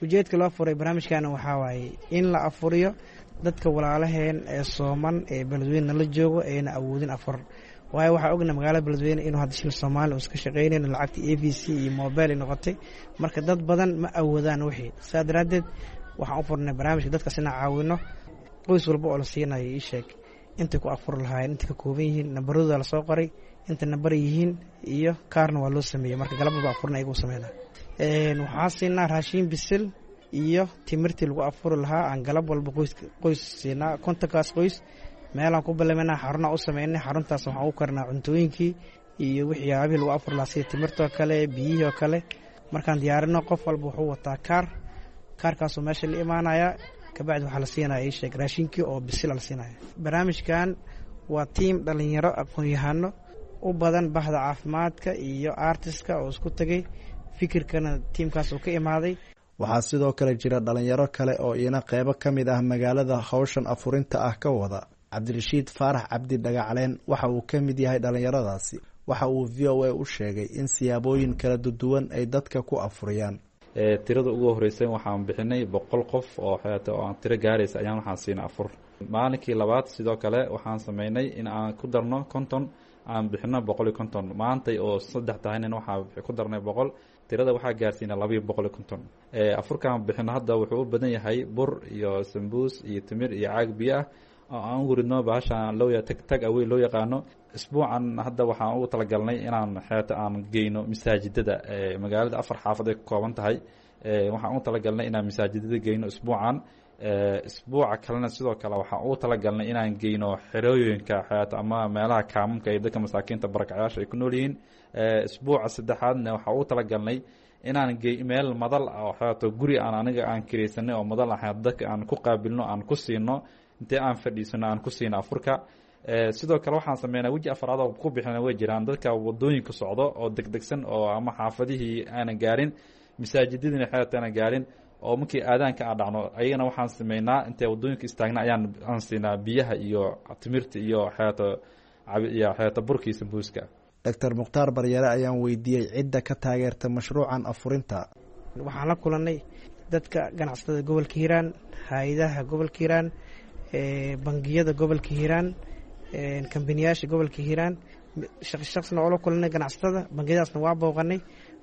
Ujeedka loo furay barnaamijkan waxaa waaye in la afuriyo dadka walaalaheen ee sooman ee Beledweyne la joogo eena awoodin afur. Waayo waxaa ogna magaalada Beledweyne inuu hadda shil Soomaali uusan ka shaqeynayn, lacagta A V C iyo mobile ay noqotay. Marka dad badan ma awoodaan wixii. Saa daraaddeed waxaan u furnay barnaamijka dadkaas inaan caawino. Qoys walba oo la siinayo ii sheeg intay ku afur lahaayeen, intay ka kooban yihiin, nambaradooda la soo qoray, inta nambar yihiin iyo kaarna waa loo sameeyey. Marka galab walba afurna ayagu sameynaa. Waxaan siinaa raashin bisil iyo timirtii lagu afuri lahaa aan galab walba qoys qoys siinaa. Kontonkaas qoys meelaan ku balaminaa, xarunaa u sameynay. Xaruntaas waxaan u karnaa cuntooyinkii iyo waxyaabihii lagu afuri lahaa sida timirtoo kale, biyihii oo kale. Markaan diyaarino qof walba wuxuu wataa kaar, kaarkaasuu meesha la imaanayaa. Kabacdi waxaa la siinaya ii sheeg raashinkii oo bisil la siinaya. Barnaamijkan waa tiim dhalinyaro aqoon-yahano u badan bahda caafimaadka iyo artiska oo isku tegay, fikirkana tiimkaas uu ka imaaday. Waxaa sidoo kale jira dhalinyaro kale oo iyana qeybo ka mid ah magaalada howshan afurinta ah ka wada. Cabdirashiid Faarax Cabdi Dhagacaleen waxa uu ka mid yahay dhalinyaradaasi. Waxa uu V O A u sheegay in siyaabooyin kala duwan ay dadka ku afuriyaan. Tirada ugu horeysay waxaan bixinay boqol qof oo xeeta oo aan tiro gaaraysa ayaan waxaan siinay afur. Maalinkii labaad sidoo kale waxaan sameynay in aan ku darno konton, aan bixino boqol iyo konton. Maantay oo saddex tahayna waxaan ku darnay boqol, tirada waxaa gaarsiinay laba iyo boqol iyo konton. Afurkaan bixino hadda wuxuu u badan yahay bur iyo sambuus iyo timir iyo caag biyo ah oo aan ugu ridno bahashaan loo tag tag away loo yaqaano. Isbuucan hadda waxaan ugu talagalnay inaan xeeta aan geyno masaajidada magaalada. Afar xaafad ay ka kooban tahay. Waxaan ugu talagalnay inaan masaajidada geyno isbuucan. Isbuuca kalena sidoo kale waxaan ugu talagalnay inaan geyno xerooyinka xeeta ama meelaha kaamamka iyo dadka masaakiinta barakacayaasha ay ku nool yihiin. Isbuuca saddexaadna waxaan ugu talagalnay inaan gey meel madal ah oo xeeto guri aan aniga aan kiraysanay oo madal ah dadka aan ku qaabilno, aan ku siino intee aan fadhiisano aan ku siino afurka. Sidoo kale waxaan sameynaa weji afraad oo ku bixina way jiraan dadka wadooyinka socdo oo degdegsan oo ama xaafadihii aanan gaarin, masaajidadiina xeeta aanan gaarin, oo markii aadaanka aan dhacno ayagana waxaan sameynaa intee wadooyinka istaagna ayaan aan siinaa biyaha iyo timirta iyo xeeto iyo xeeto burkii sambuuska. Doctor Mukhtaar Baryare ayaan weydiiyey cidda ka taageerta mashruucan afurinta. Waxaan la kulanay dadka ganacsatada gobolka Hiiraan, hay-adaha gobolka Hiiraan, bangiyada gobolka Hiiraan, kambaniyaasha gobolka Hiiraan. Shaqsna oo la kulanay ganacsatada, bangiyadaasna waa booqanay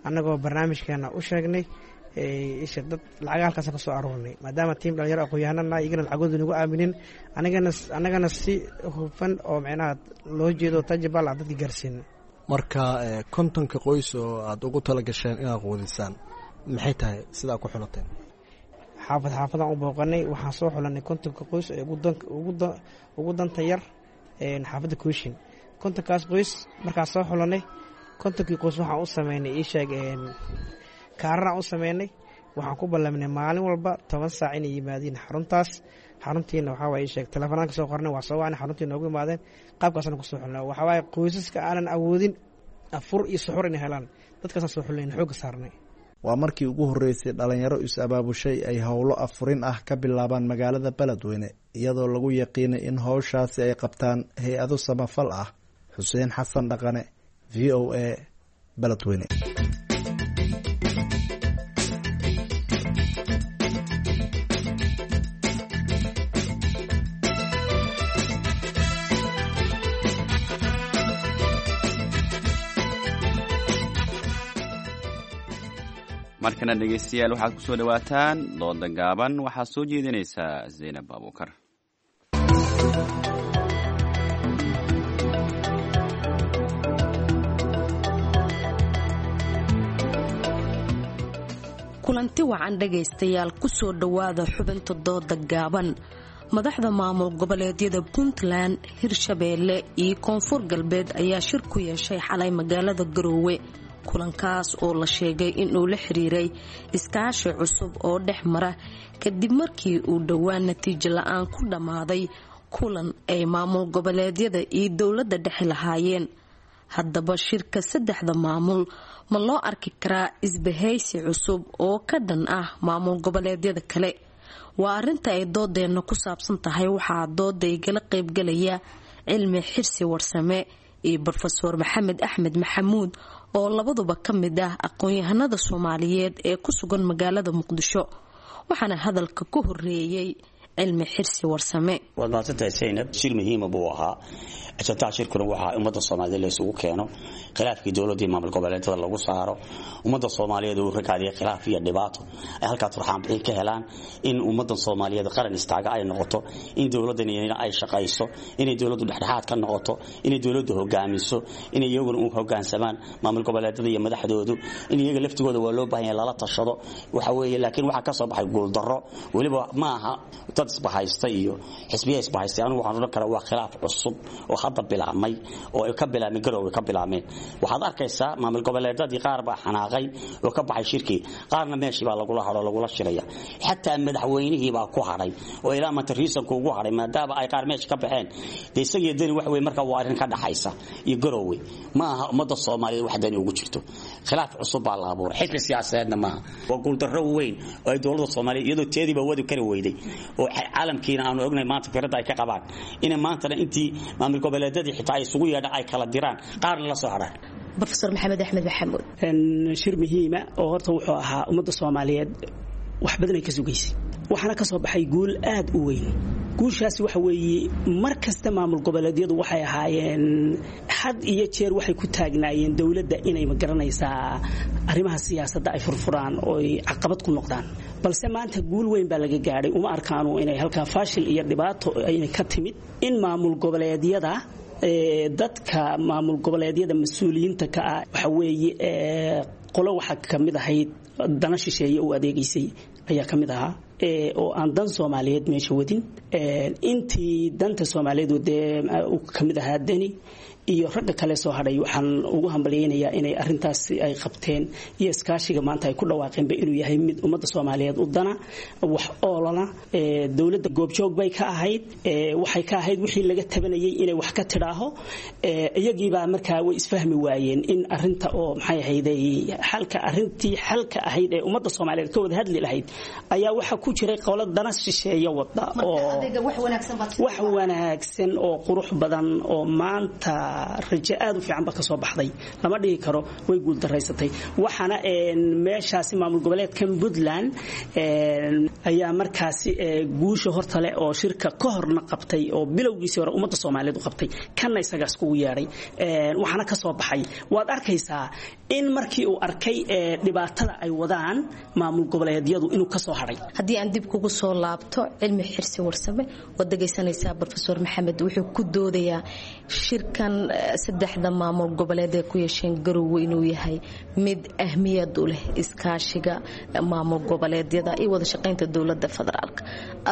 annagoo barnaamijkeena u sheegnay. Isha dad lacaga halkaas ka soo aruurnay maadaama tiim dhalinyaro aqoon-yahanana iyagana lacagooda nagu aaminin, anigana annagana si hufan oo micnaha loo jeedo tajabal aan dadka gaarsiina. Marka kontonka qoys oo aada ugu tala gasheen inaad quudisaan, maxay tahay sidaa ku xulateen? Xaafad xaafadaan u booqanay, waxaan soo xulanay kontonka qoys ee ugu danta yar xaafadda Kooshin. Kontonkaas qoys markaan soo xulanay, kontonkii qoys waxaan u sameynay ii sheeg kaararaan u sameynay. Waxaan ku ballaminay maalin walba toban saac inay yimaadiin xaruntaas. Xaruntiina waxaa waaye ii sheeg teleefanaan ka soo qornay, waa soo wacnay, xaruntii noogu imaadeen. Qaabkaasna kusoo xulnay. Waxaa waaye qoysaska aanan awoodin afur iyo suxur inay helaan, dadkaasaan soo xulnay, xoogga saarnay. Waa markii ugu horreysay dhalinyaro is-abaabushay ay howlo afurin ah ka bilaabaan magaalada Beledweyne, iyadoo lagu yaqiinay in howshaasi ay qabtaan hay-ado samafal ah. Xuseen Xasan Dhaqane, V O A, Beledweyne. Markana dhegaystayaal, waxaad ku soo dhowaataan dooda gaaban. Waxaa soo jeedinaysaa Zaynab Abuukar. Kulanti wacan dhegaystayaal, kusoo dhowaada xubinta dooda gaaban. Madaxda maamul goboleedyada Puntland, Hirshabeelle iyo Koonfur Galbeed ayaa shir ku yeeshay xalay magaalada Garoowe. Kulankaas oo la sheegay inuu la xiriiray iskaashi cusub oo dhex mara, kadib markii uu dhowaan natiijo la-aan ku dhammaaday kulan ay maamul goboleedyada iyo dowladda dhexe lahaayeen. Haddaba shirka saddexda maamul ma loo arki karaa isbahaysi cusub oo ka dhan ah maamul goboleedyada kale? Waa arrinta ay doodeenna ku saabsan tahay. Waxaa dooda igala qaybgalaya Cilmi Xirsi Warsame iyo Brofesoor Maxamed Axmed Maxamuud, oo labaduba ka mid ah aqoon-yahanada Soomaaliyeed ee ku sugan magaalada Muqdisho. Waxaana hadalka ku horeeyey Cilmi Xirsi Warsame. Waad mahadsantahay Zaynab. Shir muhiima buu ahaa. Ajantaha shirkuna waxaa ummadda Soomaaliyeed la isugu keeno, khilaafkii dowladda iyo maamul goboleedyada lagu saaro, ummadda Soomaaliyeed uu ragaadiyay khilaaf iyo dhibaato ay halkaa turxaan bixin ka helaan, in ummadda Soomaaliyeed qaran istaaga ay noqoto, in dowladdan ay shaqayso, inay dowladdu dhexdhexaad ka noqoto, inay dowladdu hogaamiso, inay iyaguna u hogaansamaan maamul goboleedyada iyo madaxdoodu, in iyaga laftigooda waa loo baahan yahay lala tashado. Waxa weeye, laakiin waxaa ka soo baxay guuldarro. Weliba ma aha dad isbahaysta iyo xisbiya isbahaystay. Anigu waxaan odhan karaa waa khilaaf cusub oo hadda bilaabmay, oo ay ka bilaabmeen Garowe ka bilaabmeen. Waxaad arkaysaa maamul goboleedyadii qaar baa xanaaqay oo ka baxay shirkii, qaarna meeshii baa lagula hadho, lagula shiraya. Xataa madaxweynihii baa ku hadhay oo ilaa maanta riisanku ugu hadhay, maadaama ay qaar meesha ka baxeen. Dee isagii dani wax weeye. Marka waa arrin ka dhaxaysa iyo Garowe, ma aha ummadda Soomaaliyeed wax dani ugu jirto. Khilaaf cusub baa la abuuray, xisbi siyaasadeedna maaha. Waa guuldarro weyn oo ay dowladda Soomaaliyeed iyadoo teediiba wadi kari weyday, oo caalamkiina aanu ognahay maanta fikrada ay ka qabaan, inay maantana intii maamul goboleedyadii xitaa ay isugu yeedhaan ay kala diraan, qaarna la soo hadhaan. Brofeor Maxamed Axmed Maxamuud. Shir muhiima oo horta wuxuu ahaa ummadda Soomaaliyeed wax badan ay ka sugaysay, waxaana ka soo baxay guul aad u weyn. Guushaasi waxa weeye, mar kasta maamul goboleedyadu waxay ahaayeen had iyo jeer waxay ku taagnaayeen dowladda inay magaranaysaa arrimaha siyaasadda ay furfuraan oo ay caqabad ku noqdaan, balse maanta guul weyn baa laga gaadhay. Uma arkaanu inay halkaa faashil iyo dhibaato inay ka timid in maamul goboleedyada, dadka maamul goboleedyada mas-uuliyiinta ka ah, waxa weeye qolo waxaa ka mid ahayd dana shisheeye u adeegaysay ayaa ka mid ahaa, oo aan dan Soomaaliyeed meesha wadin. Intii danta Soomaaliyeed dee uu ka mid ahaa Deni iyo ragga kale soo hadhay, waxaan ugu hambalyaynayaa inay arintaasi ay qabteen iyo iskaashiga maanta ay ku dhawaaqeenba inuu yahay mid ummadda Soomaaliyeed u dana wax oolana. Dowladda goobjoog bay ka ahayd, waxay ka ahayd wixii laga tabanayay inay wax ka tidhaaho. Iyagiibaa markaa way isfahmi waayeen in arinta oo maxay ahayday xalka, arintii xalka ahayd ee ummadda Soomaaliyeed ka wada hadli lahayd ayaa waxa ku jiray qolo dana shisheeye wada, oo wax wanaagsan oo qurux badan oo maanta rajo aad u fiican ba ka soo baxday. Lama dhihi karo way guuldaraysatay. Waxaana meeshaasi maamul goboleedkan Puntland ayaa markaasi guusha horta leh, oo shirka ka horna qabtay oo bilowgiisii hore ummadda Soomaaliyeed u qabtay, kanna isagaas kugu yeedhay. Waxaana ka soo baxay waad arkaysaa in markii uu arkay dhibaatada ay wadaan maamul goboleedyadu inuu ka soo hadhay. Haddii aan dib kugu soo laabto, Cilmi Xirsi Warsame, waad dhegaysanaysaa Brofeor Maxamed wuxuu ku doodayaa shirkan saddexda maamul goboleed ee ku yeesheen Garowe inuu yahay mid ahmiyad u leh iskaashiga maamul goboleedyada iyo wada shaqaynta dowladda federaalka.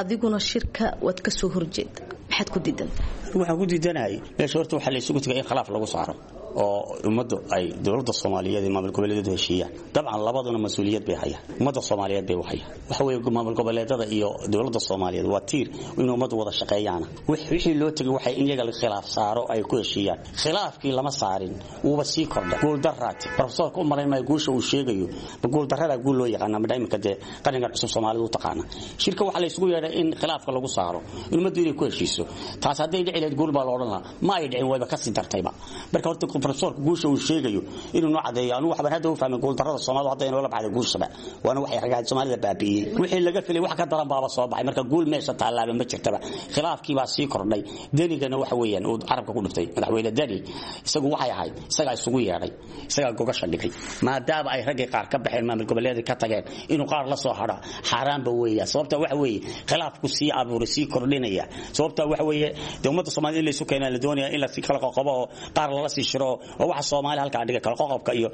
Adiguna shirka waad ka soo horjeeda, maxaad ku diidantahay? Waxaan ku diidanahay meesha horta waxaa la isugu tagay in khilaaf lagu saaro oo ummaddu ay dowladda Soomaaliyeed iyo maamul goboleedyadu heshiiyaan. Dabcan labaduna mas-uuliyad bay hayaan, ummadda Soomaaliyeed bay u hayaan. Waxa weeye, maamul goboleedyada iyo dowladda Soomaaliyeed waa tiir in ummaddu wada shaqeeyaana. Wixii loo tegay waxay in iyaga khilaaf saaro ay ku heshiiyaan. Khilaafkii lama saarin, wuuba sii kordha guuldarraati. Profesorka u malayn maayo guusha uu sheegayo, ma guuldarrada guul loo yaqaana ma iminka dee qarankan cusub Soomaalidu u taqaana. Shirka waxaa la isugu yeedhay in khilaafka lagu saaro, in ummaddu inay ku heshiiso. Taas hadday dhici lahayd guul baa la odhan lahaa. Ma ay dhicin, wayba kasii dartayba. Marka horta Professorka guusha uu sheegayo inuu noo cadeeyo. Anigu waxbaan hadda u fahmay guuldarrada Soomaalidu hadda inoo la baxday guushaba, waana waxay ragaad Soomaalida baabi'iyey. Wixii laga filay wax ka daran baaba soo baxay. Marka guul meesha taalaaba ma jirtaba, khilaafkii baa sii kordhay. Denigana waxa weeyaan uu carabka ku dhuftay madaxweyne Deni, isagu waxay ahayd isagaa isugu yeedhay, isagaa gogasha dhigay, maadaama ay raggii qaar ka baxeen, maamul goboleedka ka tageen, inuu qaar la soo hadho xaaraanba weeya. Sababta waxa weeye khilaafku sii abuuray, sii kordhinaya. Sababta waxa weeye dee ummadda Soomaalida in la isu keenaa la doonaya, in la sii kala qoqobo oo qaar lala sii shiro, oo waxa Soomaali halkaa dhiga kala qoqobka iyo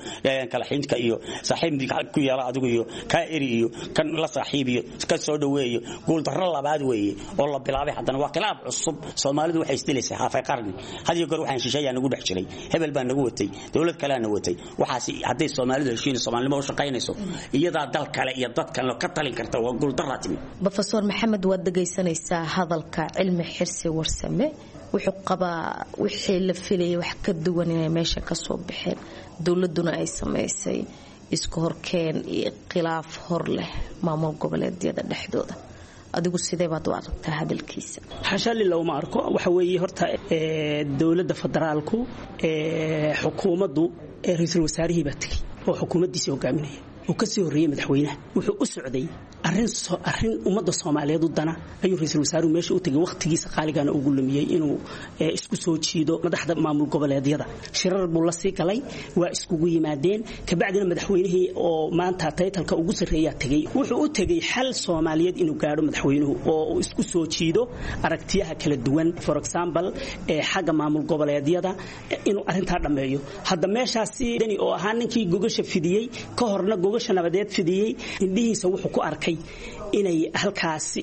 kala xinka iyo saaxiib ku yeela adigu iyo kaa eri iyo kan la saaxiib iyo ka soo dhaweeyo. Guul darro labaad weeye oo la bilaabay. Haddana waa khilaaf cusub. Soomaalidu waxay isdilaysaa haafay qarni. Had iyo goor waxaan shisheeyaa nagu dhex jiray, hebel baa nagu watay, dowlad kalea na watay. Waxaas hadday Soomaalidu heshiin, Soomaalinimo u shaqaynayso, iyadaa dal kale iyo dad kale ka talin karta. Waa guul darraa timi. Brofesor Maxamed, waad dhegaysanaysaa hadalka Cilmi Xirsi Warsame. Wuxuu qabaa wixii la filayay wax ka duwan inay meesha ka soo baxeen, dowladuna ay samaysay isku horkeen iyo khilaaf hor leh maamul goboleedyada dhexdooda. Adigu sidee baad u aragtaa hadalkiisa? Xasha lila uma arko. Waxa weeye horta dowladda federaalku, xukuumaddu, ra-iisul wasaarihii baa tegey oo xukuumaddiisii hogaaminaya oo kasii horreeyey madaxweynaha. Wuxuu u socday arrin arrin ummadda Soomaaliyeed u dana ayuu ra-iisul wasaaruhu meesha u tegay, wakhtigiisa qaaligana ugu lumiyey inuu isku soo jiido madaxda maamul goboleedyada. Shirar buu la sii galay, waa iskugu yimaadeen. Kabacdina madaxweynihii oo maanta taytalka ugu sarreeyaa tegey. Wuxuu u tegey xal Soomaaliyeed inuu gaadho madaxweynuhu oo uu isku soo jiido aragtiyaha kala duwan, for example xagga maamul goboleedyada, inuu arrintaa dhammeeyo. Hadda meeshaasi Deni oo ahaa ninkii gogasha fidiyey, ka horna gogasha nabadeed fidiyey, indhihiisa wuxuu ku arkay inay halkaasi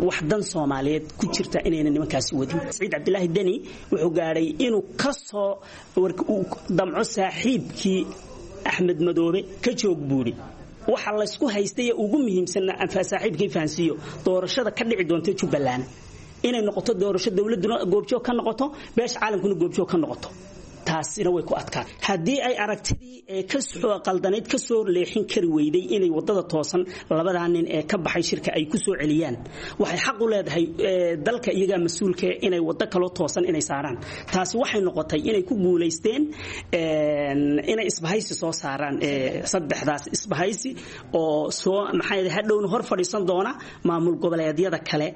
wax dan Soomaaliyeed ku jirta inayna nimankaasi wadin. Saciid Cabdilaahi Deni wuxuu gaadhay inuu ka soo damco saaxiibkii Axmed Madoobe ka joog buuri. Waxa laysku haystay ee ugu muhiimsanna saaxiibkii fahansiiyo doorashada ka dhici doonta Jubbaland inay noqoto doorasho dowladuna goobjoog ka noqoto, beesha caalamkuna goobjoog ka noqoto. Taasina way ku adkaan. Haddii ay aragtidii ee ka soo qaldanayd ka soo leexin kari weyday inay wadada toosan labadaa nin ee ka baxay shirka ay ku soo celiyaan, waxay xaq u leedahay dalka iyagaa mas-uulka inay waddo kaloo toosan inay saaraan. Taasi waxay noqotay inay ku guulaysteen inay isbahaysi soo saaraan, saddexdaas isbahaysi oo soo maxay hadhowna hor fadhiisan doona maamul goboleedyada kale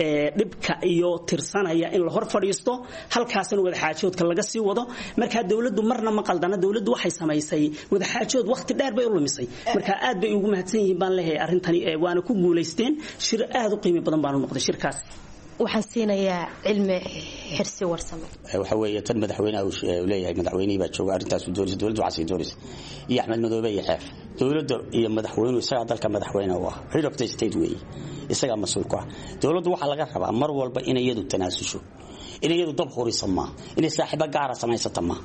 ee dhibka iyo tirsanaya in la hor fadhiisto, halkaasna wadaxaajoodka laga sii wado. Marka dawladdu marna ma qaldana. Dawladdu waxay samaysay wadaxaajood, waqti dheer bay u lumisay. Marka aad bay ugu mahadsan yihiin baan leeyahay arrintani, waana ku guulaysteen. Shir aad u qiimo badan baan u noqday shirkaas. Waxaan siinayaa Cilmi Xirsi Warsame. Waxa weeye tan madaxweynaha uu leeyahay, madaxweynihii baa jooga, arrintaas uu doonaysa, dowladdu waxaasay doonaysa, iyo Axmed Madoobe iyo Xeef. Dowladda iyo madaxweynuhu, isagaa dalka madaxweyne u ah, head of the state weeye, isagaa mas-uul ku ah. Dowladdu waxaa laga rabaa mar walba inay iyadu tanaasusho, inay iyadu dab hurisa maaha, inay saaxiibo gaara samaysata maaha,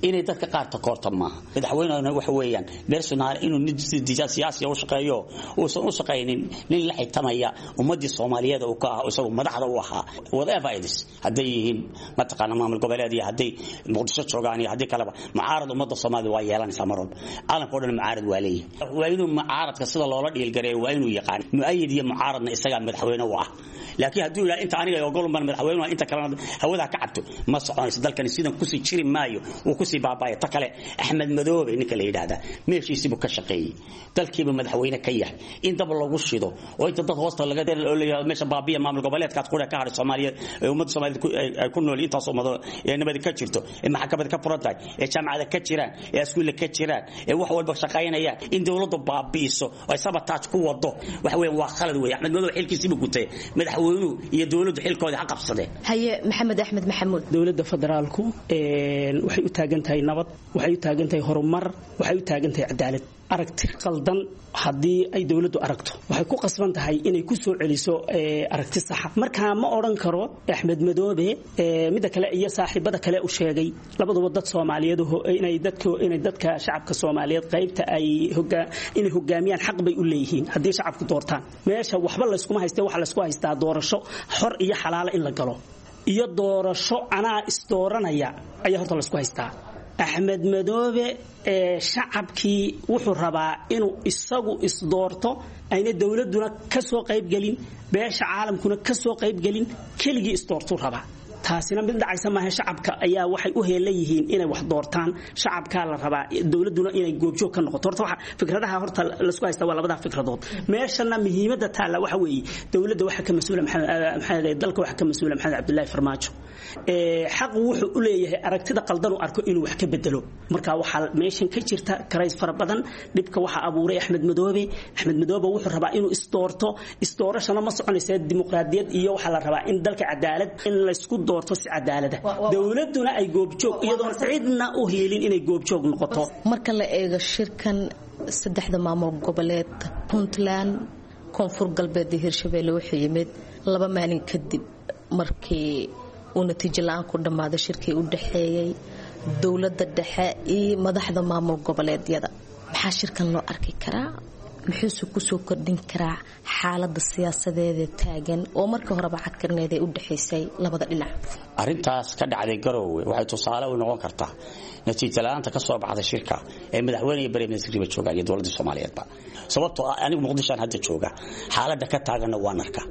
inay dadka qaar takoorta maaha. Madaxweynehuna waxa weeyaan personal inuu nin siyaasiya u shaqeeyo, uusan u shaqaynin nin la xitamaya ummaddii Soomaaliyeed uu ka ah isagu madaxda u ahaa, whatever it is, hadday yihiin mataqaana maamul goboleed iyo hadday Muqdisho joogaan iyo haddii kaleba. Mucaarad ummadda Soomaalida waa yeelanaysaa mar walba, caalamka o dhan mucaarad waa leeyahay. Waa inuu mucaaradka sida loola dhiilgareeyo waa inuu yaqaan. Mu'ayid iyo mucaaradna isagaa madaxweyne u ah. Laakiin hadduu yidhaha inta aniga ogolun baan madaxweyne, inta kalena hawada ka cabto, ma soconayso. Dalkani sidan kusii jiri maayo, wuu kusii baabaya. Ta kale, Axmed Madoobe ninka la yidhaahdaa meeshiisiibuu ka shaqeeyey, dalkiiba madaxweyne ka yahay. In dab lagu shido oo inta dad hoosta laga oo meesha baabiya maamul goboleedkaas qura ka hadhay Soomaaliyeed ee ummadda Soomaaliyeed ay ku nool, intaas ummado ee nabadi ka jirto, ee maxkamad ka furan tahay, ee jaamacada ka jiraan, ee iskuulla ka jiraan, ee wax walba shaqaynayaan, in dawladdu baabi'iso oo ay sabotage ku wado, waxa weeyaan waa khalad weeye. Axmed Madoobe xilkiisiiba gutay, madaxweynuhu iyo dawladdu xilkooda ha qabsadeen. Haye, Maxamed Axmed Maxamuud. Dowladda federaalku waxay u taagan tahay nabad, waxay u taagan tahay horumar, waxay u taagan tahay cadaalad. Aragti qaldan haddii ay dowladdu aragto, waxay ku qasban tahay inay ku soo celiso aragti saxa. Marka ma odhan karo Axmed Madoobe midda kale iyo saaxiibada kale u sheegay, labaduba dad Soomaaliyeed inay dadka inay dadka shacabka Soomaaliyeed qaybta ay inay hogaamiyaan xaq bay u leeyihiin haddii shacabku doortaan. Meesha waxba layskuma haystee, waxa laysku haystaa doorasho xor iyo xalaala in la galo iyo doorasho anaa isdooranaya ayaa horta laysku haystaa. Axmed Madoobe ee shacabkii wuxuu rabaa inuu isagu isdoorto, ayna dowladduna ka soo qaybgelin, beesha caalamkuna ka soo qaybgelin, keligii isdoortuu rabaa. Taasina mid dhacaysa maaha. Shacabka ayaa waxay u heelan yihiin inay wax doortaan, shacabkaa la rabaa dowladuna inay goobjoog ka noqoto. Horta waxa fikradaha horta laisku haysta waa labadaa fikradood. Meeshana muhiimadda taalla waxa weeye dowladda waxa ka mas-uula Maxamed, dalka waxa ka mas-uula Maxamed Cabdullaahi Farmaajo. Xaq wuxuu u leeyahay aragtida qaldan uu arko inuu wax ka bedelo. Marka waxaa meeshan ka jirta karays fara badan. Dhibka waxaa abuuray Axmed Madoobe. Axmed Madoobe wuxuu rabaa inuu isdoorto, isdoorashana ma soconaysa. Dimuqraadiyad iyo waxaa la rabaa in dalka cadaalad in laysku doorto si cadaalada, dowladuna ay goobjoog iyadoon cidna u hiilin inay goobjoog noqoto. Marka la eego shirkan saddexda maamul goboleed Puntland, Koonfur Galbeed iyo Hirshabeelle wuxuu yimid laba maalin kadib markii uu natiijo la-aan ku dhammaaday shirkii u dhaxeeyey dowladda dhexe iyo madaxda maamul goboleedyada. Maxaa shirkan loo arki karaa? Muxuuse kusoo kordhin karaa xaalada siyaasadeeda taagan oo markii horeba cadkarneed ee u dhexaysay labada dhinac? Arrintaas ka dhacday Garoowe waxay tusaale u noqon kartaa natiijo la'aanta ka soo baxday shirka ee madaxweyne iyo prime minister jooga iyo dowladda Soomaaliyeedba. Sababtoo ah anigu Muqdisho hadda jooga, xaaladda ka taaganna waan arkaa,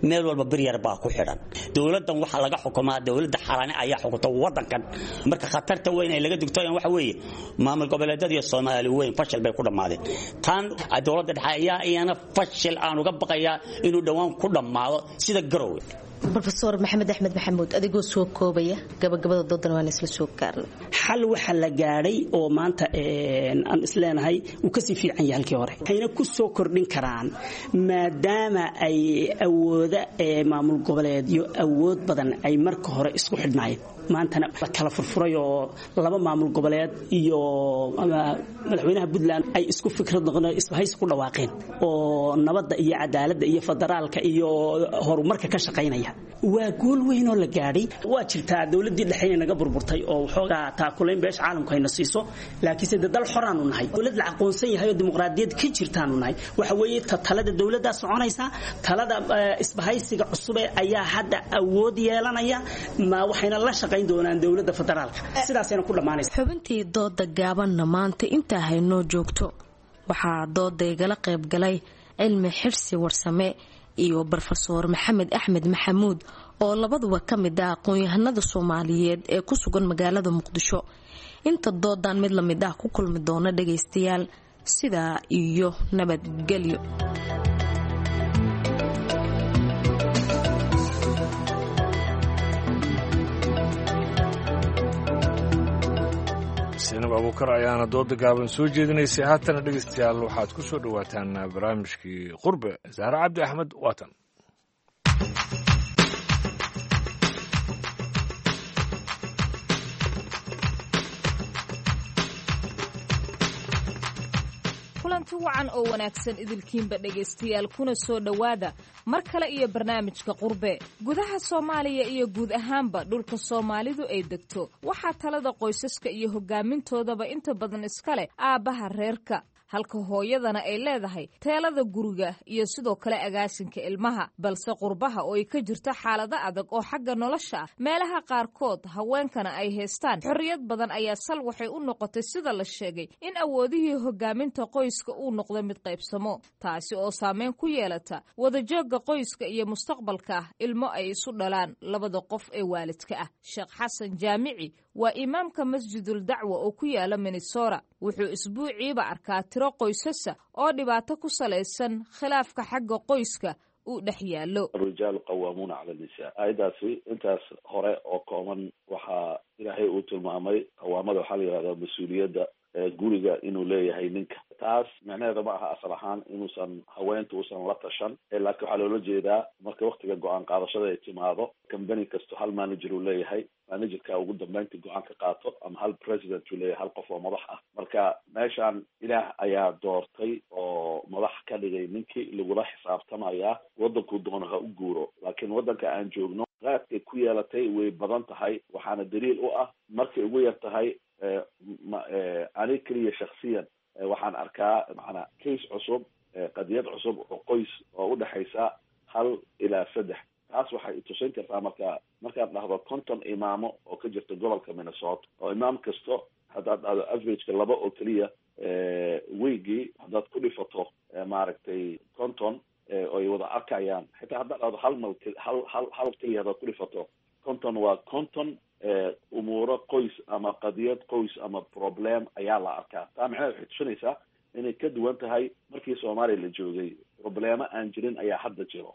meel walba bir yar baa ku xidhan. Dowladdan waxaa laga xukumaa dowladda xalane ayaa xukunta wadankan. Marka khatarta weyn ee laga digtooyan waxa weeye maamul goboleedyada iyo Soomaali weyn fashil bay ku dhammaadeen. Tan dowladda dhexe ayaa iyana fashil aan uga baqayaa inuu dhowaan ku dhammaado sida Garoowe. Rofeor Maxamed Axmed Maxamuud, adigoo soo koobaya gabagabada doodan waan isla soo gaarnay. Xal waxa la gaadhay oo maanta aan isleenahay uu kasii fiican yahay halkii hore, waxayna ku soo kordhin karaan maadaama ay awooda maamul goboleedyo awood badan ay marka hore isku xidhnaayeen, maantana la kala furfuray oo laba maamul goboleed iyo madaxweynaha Puntland ay isku fikrad noqon isbahaysi ku dhawaaqeen oo nabadda iyo cadaaladda iyo federaalka iyo horumarka ka shaqaynaya. Waa guul weyn oo la gaadhay. Waa jirtaa dowladdii dhexeyna naga burburtay oo waxoogaa taakulayn beesha caalamku hayna siiso, laakiinse dee dal xoraanu nahay, dowlad la aqoonsan yahay oo dimuqraadiyad ka jirtaanu nahay. Waxa weeye talada dowladdaa soconaysa, talada isbahaysiga cusube ayaa hadda awood yeelanaya, ma waxayna la shaqayn doonaan dowladda federaalka, sidaasayna ku dhammaanaysa. Xubintii dooda gaabanna maanta intaa haynoo joogto. Waxaa dooda igala qayb galay Cilmi Xirsi Warsame iyo Brofesoor Maxamed Axmed Maxamuud oo labaduba ka mid ah aqoon-yahanada Soomaaliyeed ee ku sugan magaalada Muqdisho. Inta doodan mid lamid ah ku kulmi doona dhagaystayaal, sidaa iyo nabadgelyo. Sinab Abuukar ayaana dooda gaaban soo jeedinaysay. Haatana dhegeystayaal waxaad ku soo dhowaataan barnaamijkii Qurbe. Zahre Cabdi Axmed waatan. Kulanti wacan oo wanaagsan idilkiinba dhegaystayaal, kuna soo dhowaada mar kale iyo barnaamijka Qurbe. Gudaha Soomaaliya iyo guud ahaanba dhulka Soomaalidu ay degto waxaa talada qoysaska iyo hogaamintoodaba inta badan iska leh aabbaha reerka, halka hooyadana ay leedahay teelada guriga iyo sidoo kale agaasinka ilmaha. Balse qurbaha oo ay ka jirto xaalado adag oo xagga nolosha ah, meelaha qaarkood haweenkana ay haystaan xorriyad badan, ayaa sal waxay u noqotay sida la sheegay in awoodihii hogaaminta qoyska uu noqdo mid qaybsamo, taasi oo saameyn ku yeelata wadajoogga qoyska iyo mustaqbalka ah ilmo ay isu dhalaan labada qof ee waalidka ah. Sheekh Xasan Jaamici waa imaamka Masjidul Dacwa oo ku yaala Minnesota. Wuxuu isbuuciiba arkaa tiro qoysasa oo dhibaato ku salaysan khilaafka xagga qoyska uu dhex yaallo. Alrijaalu qawaamuuna cala nisaa, aayaddaasi intaas hore oo kooban waxaa Ilaahay uu tilmaamay qawaamada waxaa la yihahdaa mas-uuliyadda guriga inuu leeyahay ninka. Taas micnaheeda ma aha asal ahaan inuusan haweenta uusan la tashan, laakiin waxaa loola jeedaa marka waktiga go-aan qaadashada ay timaado, company kasto hal manager uu leeyahay, managerka ugu dambeynta go-aan ka qaato, ama hal president uu leeyahay, hal qof oo madax ah. Marka meeshaan Ilaah ayaa doortay oo madax ka dhigay ninkii lagula xisaabtamayaa waddankuu doono ha u guuro, laakiin waddanka aan joogno qaadkay ku yeelatay way badan tahay. Waxaana daliil u ah markay ugu yar tahay ani keliya shaksiyan waxaan arkaa macnaa case cusub, qadiyad cusub oo qoys oo udhexaysa hal ilaa saddex. Taas waxay itusin kartaa marka markaad dhahdo konton imaamo oo ka jirta gobolka Minnesota, oo imaam kasto haddaad dhahdo averageka laba oo keliya weygii haddaad ku dhifato maaragtay konton ay wada arkayaan, xitaa haddaad dhahdo hal mal hal hal hal keliya haddaad ku dhifato Konton waa konton umuuro qoys ama qadiyad qoys ama problem ayaa la arkaa. Taa macnaheed waxay tusinaysaa inay ka duwan tahay markii Soomaaliya la joogay. Problemo aan jirin ayaa hadda jiro.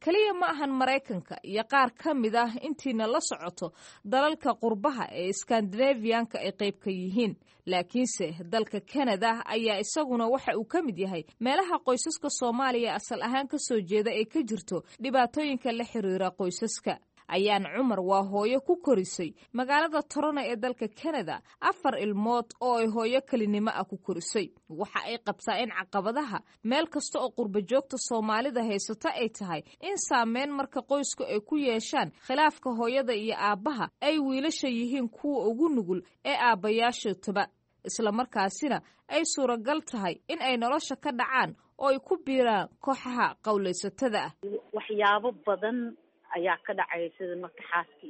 Keliya ma ahan Maraykanka iyo qaar ka mid ah intiina la socoto dalalka qurbaha ee Skandinaviyanka ay qayb ka yihiin, laakiinse dalka Kanada ayaa isaguna waxa uu ka mid yahay meelaha qoysaska Soomaaliya asal ahaan ka soo jeeda ay ka jirto dhibaatooyinka la xiriira qoysaska. Ayaan Cumar waa hooyo ku korisay magaalada Toronto ee dalka Canada afar ilmood oo ay hooyo kelinimo ah ku korisay. Waxa ay qabtaa in caqabadaha meel kasta oo qurba joogta Soomaalida haysata ay tahay in saameyn marka qoysku ay ku yeeshaan khilaafka hooyada iyo aabbaha ay wiilasha yihiin kuwa ugu nugul ee aabbayaasha taba, isla markaasina ay suuragal tahay in ay nolosha ka dhacaan oo ay ku biiraan kooxaha qowlaysatada ah. Waxyaabo badan ayaa ka dhacaya, sida marka xaaska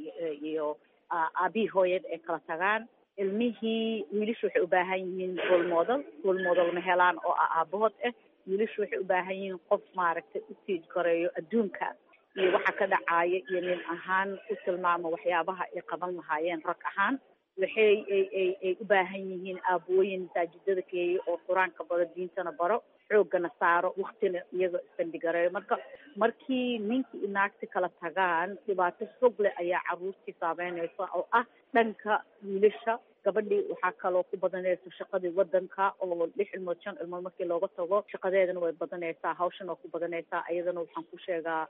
iyo aabihii hooyada ay kala tagaan, ilmihii wiilashu waxay u baahan yihiin role model, role model ma helaan oo ah aabahood ah. Wiilashu waxay u baahan yihiin qof maaragtay u tiij gareeyo adduunka iyo waxa ka dhacaya iyo nin ahaan u tilmaamo waxyaabaha ay qaban lahaayeen rag ahaan. Waxay ay ay ay u baahan yihiin aabooyin masaajidada keeyo oo qur-aanka baro, diintana baro, xooggana saaro, waktina iyaga isbandigareeyo. Marka markii ninkii iyo naagti kala tagaan, dhibaato xog leh ayaa carruurtii saameynaysa oo ah dhanka wiilasha. Gabadhii waxaa kaloo ku badanaysa shaqadii wadanka oo lix ilmood shan ilmood markii looga tago, shaqadeedana way badanaysaa, hawshana waa ku badanaysaa, iyadana waxaan ku sheegaa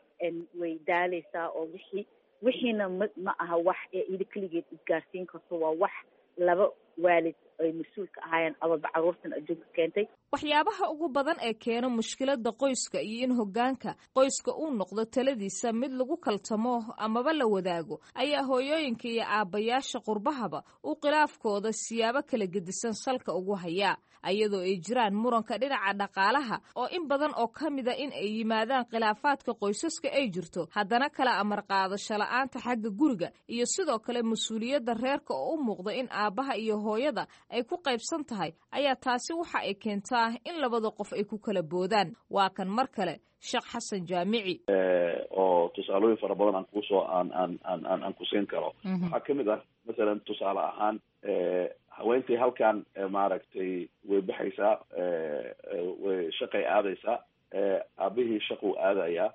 way daaleysaa oo wixii wixiina ma ma aha wax ee ida keligeed isgaarsiin karto, waa wax laba waalid ay mas-uulka ahaayeen ababa carruurtan adduunka keentay. Waxyaabaha ugu badan ee keena mushkiladda qoyska iyo in hoggaanka qoyska uu noqdo taladiisa mid lagu kaltamo amaba la wadaago ayaa hooyooyinka iyo aabbayaasha qurbahaba uu khilaafkooda siyaabo kala gedisan salka ugu hayaa, ayadoo ay jiraan muranka dhinaca dhaqaalaha oo in badan oo ka mida in ay yimaadaan khilaafaadka qoysaska ay jirto, haddana kala amar qaadasho la-aanta xagga guriga iyo sidoo kale mas-uuliyadda reerka oo u muuqda in aabbaha iyo hooyada ay ku qaybsan tahay ayaa taasi waxa ay keentaa in labada qof ay ku kala boodaan. Waa kan mar kale Sheekh Xasan Jaamici. Oo tusaalooyin fara badan aan kuusoo aan aan aan aan aan kusiin karo waxaa kamid ah masalan tusaale ahaan haweentii halkan maaragtay way baxaysaa, way shaqay aadaysaa, aabihii shaquu aadayaa.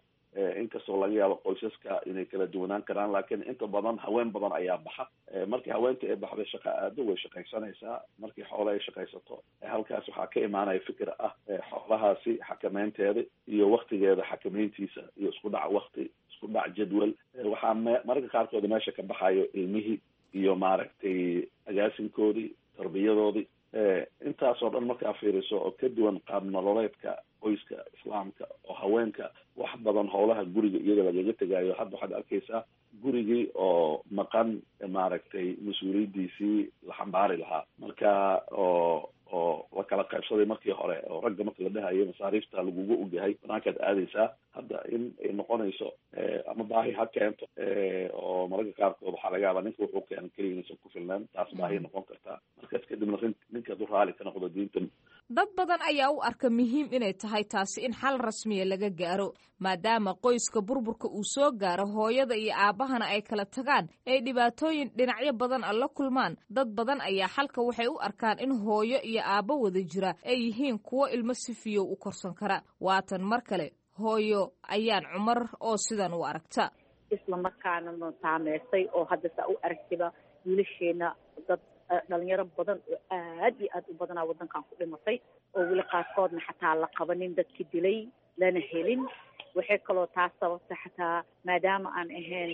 Inkastoo laga yaabo qoysaska inay kala duwanaan karaan, laakiin inta badan haween badan ayaa baxa. Markii haweentii ay baxday shaqa aado, way shaqaysanaysaa. Markii xoole ay shaqaysato, halkaas waxaa ka imaanaya fikir ah xoolahaasi xakameynteeda iyo waktigeeda xakameyntiisa iyo isku dhac wakti, isku dhac jadwal. Waxaa mararka qaarkood meesha ka baxayo ilmihii iyo maaragtay agaasinkoodii, tarbiyadoodii. Intaasoo dhan markaa fiiriso oo ka duwan qaab nololeedka qoyska islaamka oo haweenka wax badan howlaha guriga iyaga lagaga tegayo, hadda waxaad arkaysaa gurigii oo maqan maaragtay mas-uuliyaddiisii la xambaari lahaa, marka oo oo la kala qaybsaday markii hore oo ragga marka la dhahayo masaariifta lagugu ogyahay banaankaad aadaysaa, hadda in ay noqonayso ama baahi ha keento oo mararka qaarkood waxaa laga yaabaa ninka wuxuu keenan keliya inaysan ku filnaan, taas baahi noqon kartaa. Markaas kadibna ninka hadduu raali ka noqdo diinta. Dad badan ayaa u arka muhiim inay tahay taasi in xal rasmiya laga gaaro, maadaama qoyska burburka uu soo gaaro hooyada iyo aabbahana ay kala tagaan ay dhibaatooyin dhinacyo badan a la kulmaan. Dad badan ayaa xalka waxay u arkaan in hooyo iyo aabbo wada jira ay yihiin kuwo ilmo si fiyow u korsan kara. Waatan mar kale hooyo Ayaan Cumar oo sidan u aragta. Isla markaana na saameysay oo hadda saa u aragtiba wiilasheena dad dhalinyaro badan oo aad iyo aad u badanaa waddankan ku dhimatay oo weli qaarkoodna xataa la qabanin dadkii dilay lana helin. Waxay kaloo taas sababta xataa maadaama aan ahayn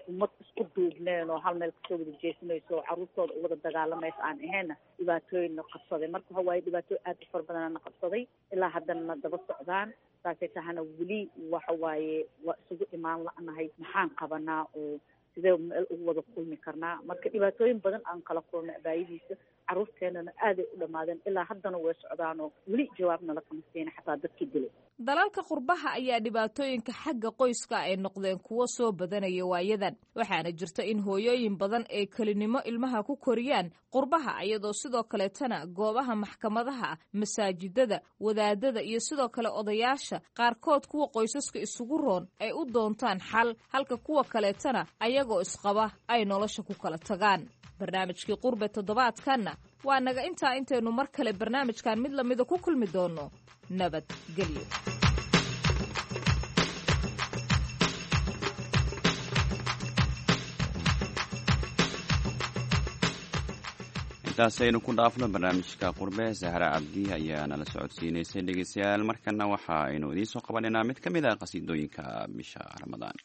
ummad isku duubneen oo hal meel kasoo wada jeesanayso oo carruurtooda u wada dagaalamaysa aan ahaynna dhibaatooyin na qabsaday. Marka waxa waaye dhibaatooyin aad u fara badana na qabsaday ilaa haddana na daba socdaan. Saasay tahana weli waxa waaye waa isugu imaan la'nahay, maxaan qabanaa oo sidee meel ugu wada kulmi karnaa? Marka dhibaatooyin badan aan kala kulnay abaayadiisa Caruurteenana aaday u dhammaadeen, ilaa haddana way socdaanoo weli jawaabna lakama siina xataa dadkii dilay. Dalalka qurbaha ayaa dhibaatooyinka xagga qoyska ay noqdeen kuwo soo badanaya waayadan, waxaana jirta in hooyooyin badan ay kelinimo ilmaha ku koriyaan qurbaha, iyadoo sidoo kaleetana goobaha maxkamadaha, masaajidada, wadaadada iyo sidoo kale odayaasha qaarkood kuwa qoysaska isugu roon ay u doontaan xal, halka kuwa kaleetana ayagoo isqaba ay nolosha ku kala tagaan. Barnaamijkii Qurbe toddobaadkanna waa naga intaa. Intaynu mar kale barnaamijkan mid lamida ku kulmi doonno, nabadgelyo. Intaasaynu ku dhaafno barnaamijka Qurbe. Sahra Cabdi ayaa nala socodsiinaysay. Dhegeystayaal, markana waxa aynu idiin soo qabanaynaa mid ka mid ah qasiidooyinka bisha Ramadaan.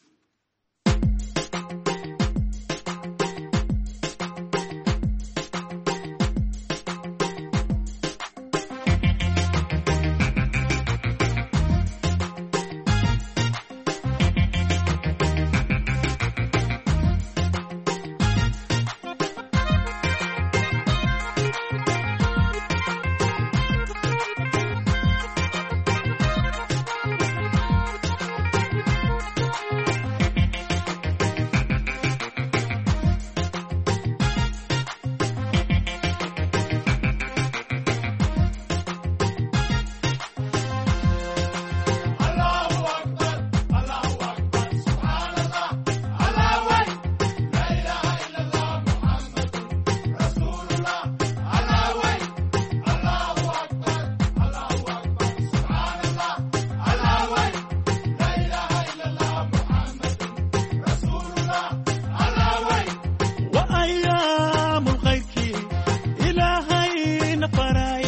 وأيام الخيركي إلهينا فراي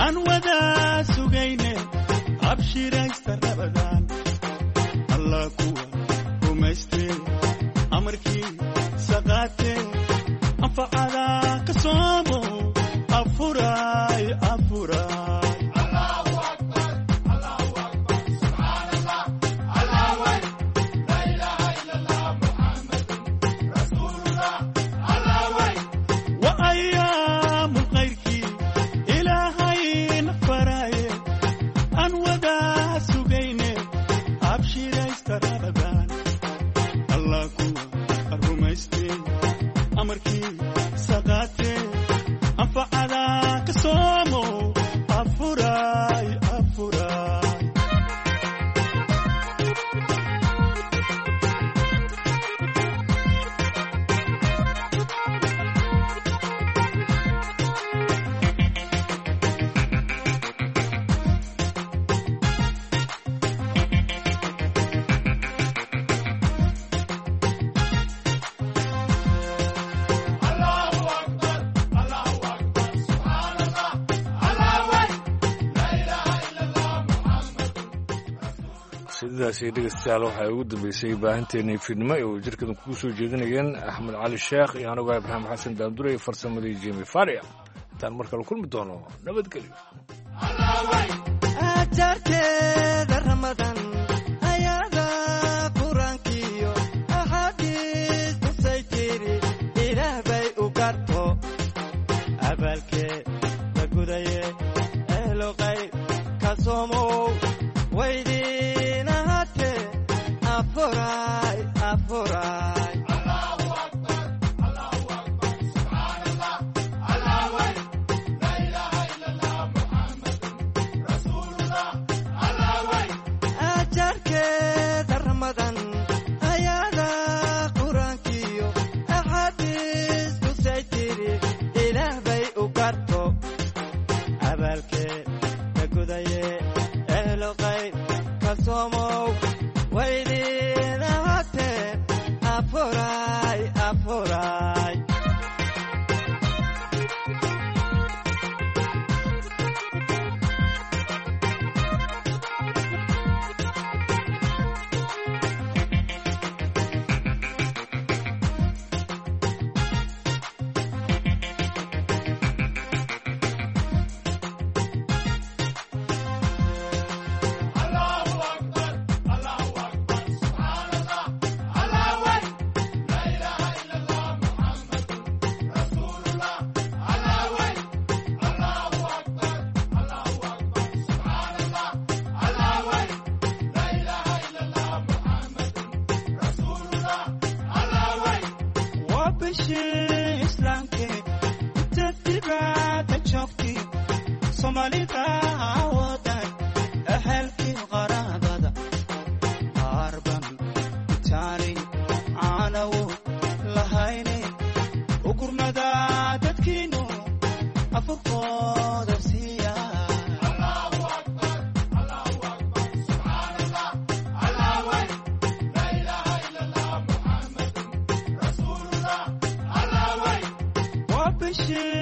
أن ودا سجينة أبشر رمضان الله كوا رمستي أمركي سقاتي أنفعلا كصومو أفراي أفراي. وأيام خيرك إلهي فراي أن ودا سجينة أبشر استرابان الله كوا الرمستي أمركي سقاتي أنفعلا كصومو أفراي أفراي. Sidaasi dhegeystayaal waxaa ugu dambeysay baahinteennii fiidnimo ee uu jirkadan kugu soo jeedinayeen Axmed Cali Sheekh iyo anigoo Ibraahim Xasan Daandure iyo farsamadii Jimi Faria. Intaan mar kale kulmi doono, nabadgelyo. Ajarkeeda Ramadan ayada qur-aankiyo axaadiis tusay tiri Ilaah bay u garto abaalkee la gudaye ehloqay ka soomow weydiinahate afuray afuray. Ajarkeeda Ramadan ayada qur-aankiyo axaadiis tusay tiri Ilaah bay u garto abaalkee la gudaye ehloqay ka soomow weydiinahate afuray afuray. Allahu Akbar, Allahu Akbar, Subhanallah, Allahu Akbar. Bishii islaamkee inta dibadda joogtay Soomaalida wadan ehelkii qaraabada qaarban itaali caanawo lahayne u gurmada dadkiinu afurkooda siiya. Waa bishii